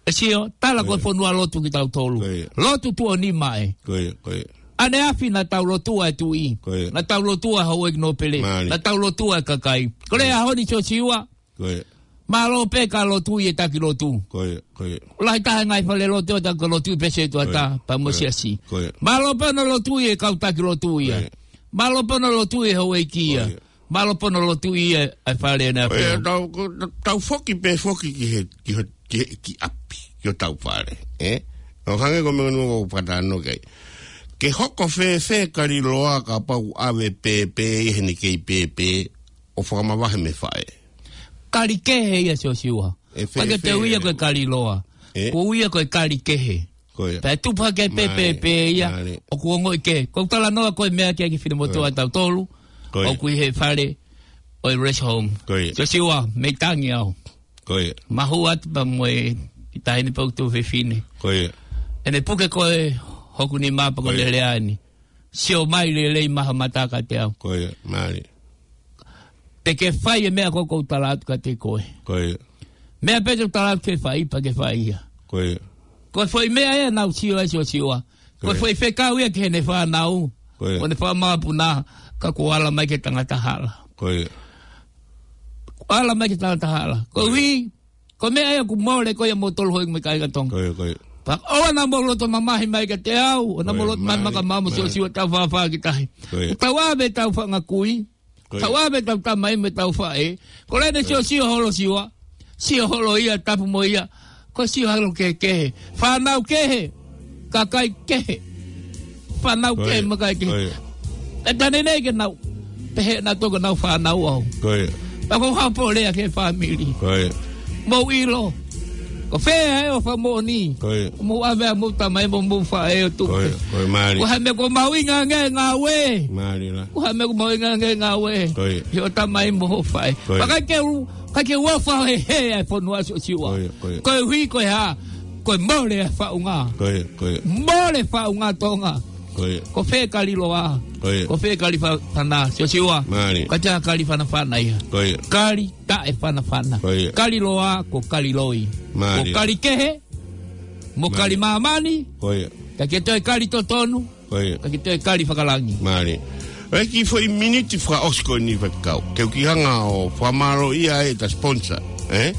ʻE Sio, tala Ko ko e ia. fonua lotu kitautolu. Ko ia. Lotu tuʻo nima ē. Ko ia, ko ia. ʻAneafi naʻa tau lotua e tuʻi. Ko ia. Naʻa tau lotua houʻeiki nōpele. Mālie. Naʻa tau lotua e kakai. Ko e Ko ia. ʻaho ni Siosiua. Ko ia. Mālō pē ka lotu ʻi he taki lotu. Ko ia, ko ia. Lahi taha e ngaahi fale lotu ʻo taki lotu pē se tuata, Ko ia, pea mo ko ia, siasi. ko ia. Mālō pē hono lotu ʻi he kau taki lotu ia. Ko ia. Mālō pē hono lotu ʻi he houʻeiki ia. Ko ia. Mālō pē hono lotu ʻi he, ʻa e fale na Ko ia, pē. tau, ko, tau foki pē foki ki he, ki he, ki he, ki ʻapi, ki hotau fale, ē? ʻO hangē ko e meʻa ko ē ʻoku ou fakatano ki ai. Ke hoko fēfē kaliloa kapau ʻave pēpē ʻi heʻene kei pēpē, ʻo fakamavahe mei he faʻē. Kali kehe ia Siosiua. ʻE fē-, Pea ke te fē-, ui ia ko e kaliloa. ʻE? Ko e ui ia ko e kali kehe. Ko ia. Pea tupu hake pē Mālie, pēpē ia. mālie. ʻOku ongoʻi kehe. Ko e talanoa ko e meʻa ki he kiʻi finemotuʻa Ko ia. tautolu. Ko ia. ʻOku ʻi he fale ʻo e rest home. Ko ia. Siosiua, mei tangi au. Ko ia. Mahu atu pea mo e kiʻi taʻahine pea ʻoku tuʻu fefine. Ko ia. ʻEne puke ko ē hoku nima pea ko Ko ia. ʻene lea ni. Sio mai lelei mai ha mata kiate au. Ko ia, mālie. Te ke fai e meʻa ko ē ʻoku ou tala atu kiate koe. Ko ia. Meʻa pē te u tala atu ke fai, pea ke fai ia. Ko ia. Ko e foʻi meʻa ia naʻa ku sio ai Siosiua. Ko e Ko ia. foʻi fekau ia ki heʻene fānau. Ko ia. Ko ʻene fakamāpuna, ka kuo ala mai ki he tangata hala. Ko ia. Kuo ala mai ki he tangata hala. Ko Ko ia. hui, Ko e meʻa ia ʻoku mole ko ia moutolu houʻeiki mo e kāinga Tonga. Ko ia, ko ia. Pea ʻoua naʻa mou loto mamahi mai kiate au, ʻoua naʻa Ko mou ia, loto mamahi mālie, mai kiate au mo mālie. Siosiua tau fāfā ki tahi. Ko ia. Tau ʻave tau fanga kui. Ko ia. Tau ʻave tau tamai mo ʻetau faʻē. Ko e lea ʻa Ko ia. Siosiua Holosiua. Sio holo ia, tapu mo ia. Ko e sio holo kehekehe. Fānau kehe. Kakai kehe. Fānau Ko kehe ia. mo e kakai kehe. Ko ia. ʻE tane nei ke nau. Pehē naʻa toko nau fānau au. Ko ia. Pea ko e haʻu pē ʻo lea ki he fāmili. Ko ia. Mou ʻilo. Ko fē ʻa e ʻofa moʻoni. Ko ia. Mou ʻave ʻa homou tamai mo homou faʻē ʻo tuku. Ko ia. Ko ia mālie. Ko e hā e meʻa ʻoku mahuʻinga ange ngāue. Mālie la. Ko e hā e meʻa ʻoku mahuʻinga ange ngāue. Ko ia. Ki hoʻo tamai mo hoʻo faʻē. Ko ia. Pea ʻikai ke u, ʻikai ke u ʻofa he he ʻa e fonua Siosiua. Ko ia, ko ia. Ko e hui ko e hā. Ko e mole ʻa e faʻunga. Ko ia, ko ia. Mole faʻunga Tonga. Ko ia. Ko fē kali loa? Ko ia. Ko fē kali fa-, fana, Siosiua? Mālie. Kātaki kali fanafana ia. Ko ia. Kali taʻefanafana. Ko ia. Kali loa, ko kali loi. Mālie. Ko kali kehe, mo Mālie. Kali māmani. Ko ia. Ka ke toe kali totonu. Ko ia. Ka ke toe kali fakalangi. Mālie. ʻE kiʻi foʻi miniti fakaʻosi ko eni faifekau. Ke u kiʻi hanga ʻo fakamālōʻia ai ʻetau sponsor, ē?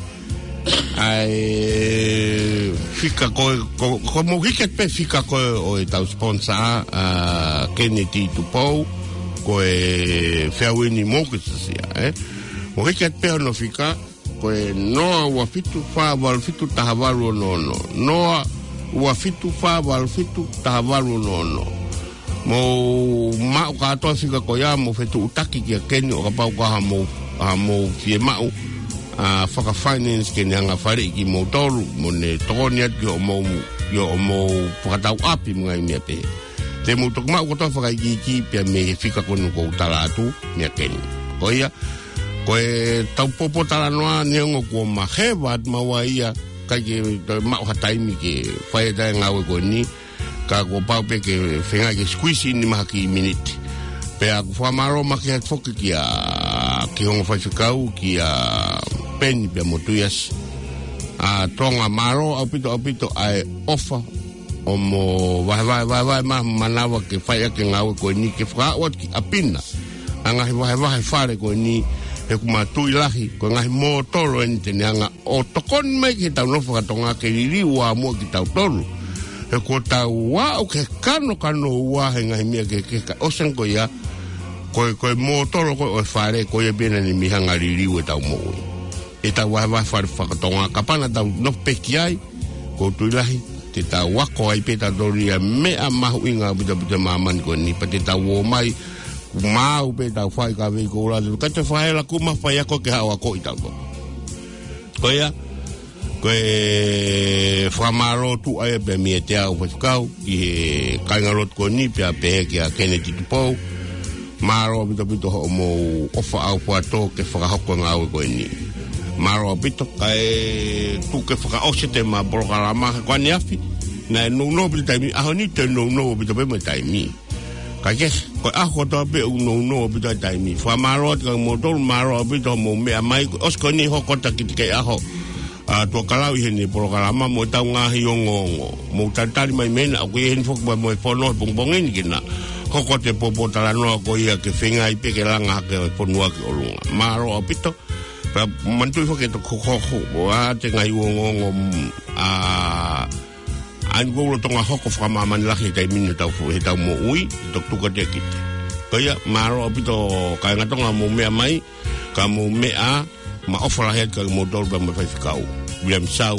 ʻA e fika ko, ko, ko mou hiki atu pē fika ko ē ʻo ʻetau sponsor, ʻa Keneti Tupou, ko e Feauini Mortgage Asia, ē? Mou hiki atu pē hono fika, ko e noa ua fitu fā valu fitu taha valu ono ono. Noa ua fitu fā valu fitu taha valu ono ono. Mou maʻu kātoa fika ko ia, mou fetuʻutaki kia Keni ʻo kapau ko ha mou, ha mou fiemaʻu, ʻa, fakafinance ke ne hanga faleʻi kimoutolu, mo ne tokoni atu ki hoʻomou, ki hoʻomou fakatau ʻapi mo e ngaahi meʻa pehē. Te mou toki maʻu kotoa fakaikiiki pea mei he fika ko eni ʻoku ou tala atu, meʻa Keni. Ko ia, ko ʻetau pōpōtalanoa neongo kuo maheva atu maua ia, ʻikai ke toe maʻu ha taimi ke fai ʻetau ngāue ko eni, ka kuo pau pē ke feinga ke squeeze in mai ha kiʻi miniti. Pea ʻoku ou fakamālō makehe atu foki kia Kihongo Faifekau, kia Peni pea mo Tuiasi. ʻA Tonga, mālō ʻaupito, ʻaupito ʻa e ʻofa ʻo mo vahevahe, vahevahe mai manava ke fai ʻaki e ngāue ko eni ke fakaaʻu atu ki ʻapi na ʻa e ngaahi vahevahe fale ko eni, he ʻoku ma tui lahi ko e ngaahi mōtolo eni te ne hanga ʻo tokoni mai ke tau nofo fakatonga ke liliu ʻa muʻa kitautolu. He kuo tau aʻu ki he kanokanouā he ngaahi meʻa kehekehe ka ʻosi ange ko ia, ko e, ko e mōtolo ko ē ʻo e fale ko ia pē naʻa ne mei hanga liliu ʻetau moʻui. ʻEtau vahevahe fale fakatonga, kapau naʻa tau nofo pē ki ai, ʻoku ou tui lahi te tau ako ai pē tautolu ia meʻa mahuʻinga ʻaupito ʻaupito ʻi māmani ko eni, pea te tau ō mai, maʻu pē ʻetau faikavei ko ula, ʻikai te fai la kuma fai ako ke haʻu akoʻi tautolu. Ko ia, ko e fakamālō tuʻa ia pē meiate au faifekau, ki he kāingalotu ko eni pea pehē kia Keneti Tupou. Mālō ʻaupito ʻaupito hoʻomou ʻofa ʻaufuatō ke fakahoko e ngāue ko eni. Mālō ʻaupito, kae tuku ke fakaʻosi ʻetau polokalama he ko ʻaneafi, naʻe nounou ʻaupito taimi, ʻaho ni te nounou ʻaupito pē mo e taimi. Kae kehe, ko e ʻaho kotoa pē ʻoku nounou ʻaupito e taimi. Fakamālō atu kia moutolu, mālō ʻaupito hoʻomou meʻa mai, ʻosi ko eni hoko atu e kiʻi ʻaho ʻa Tuʻakalau ʻi heʻene polokalama mo ʻetau ngaahi ongoongo. Mou talitali mai mei hena, ʻoku ʻi heni foki mo e fono he pongipongi ni ke na hoko atu e pōpōtalanoa ko ia ke feinga ai pē ke langa hake e fonua ki ʻolunga. Mālō ʻaupito. Pea manatuʻi foki ʻetau hokohoko ʻa e ngaahi ongoongo, mm, ʻa, ʻa ia ʻoku lolotonga hoko fakamāmani lahi he taimi ni heʻetau fo-, heʻetau moʻui, ʻe toki tuku atu ia kiate kita. Ko ia, mālō ʻaupito kāinga Tonga mou meʻa mai, ka mou meʻa, ma ʻofa lahi atu kia moutolu pea mo e faifekau Viliami Sau,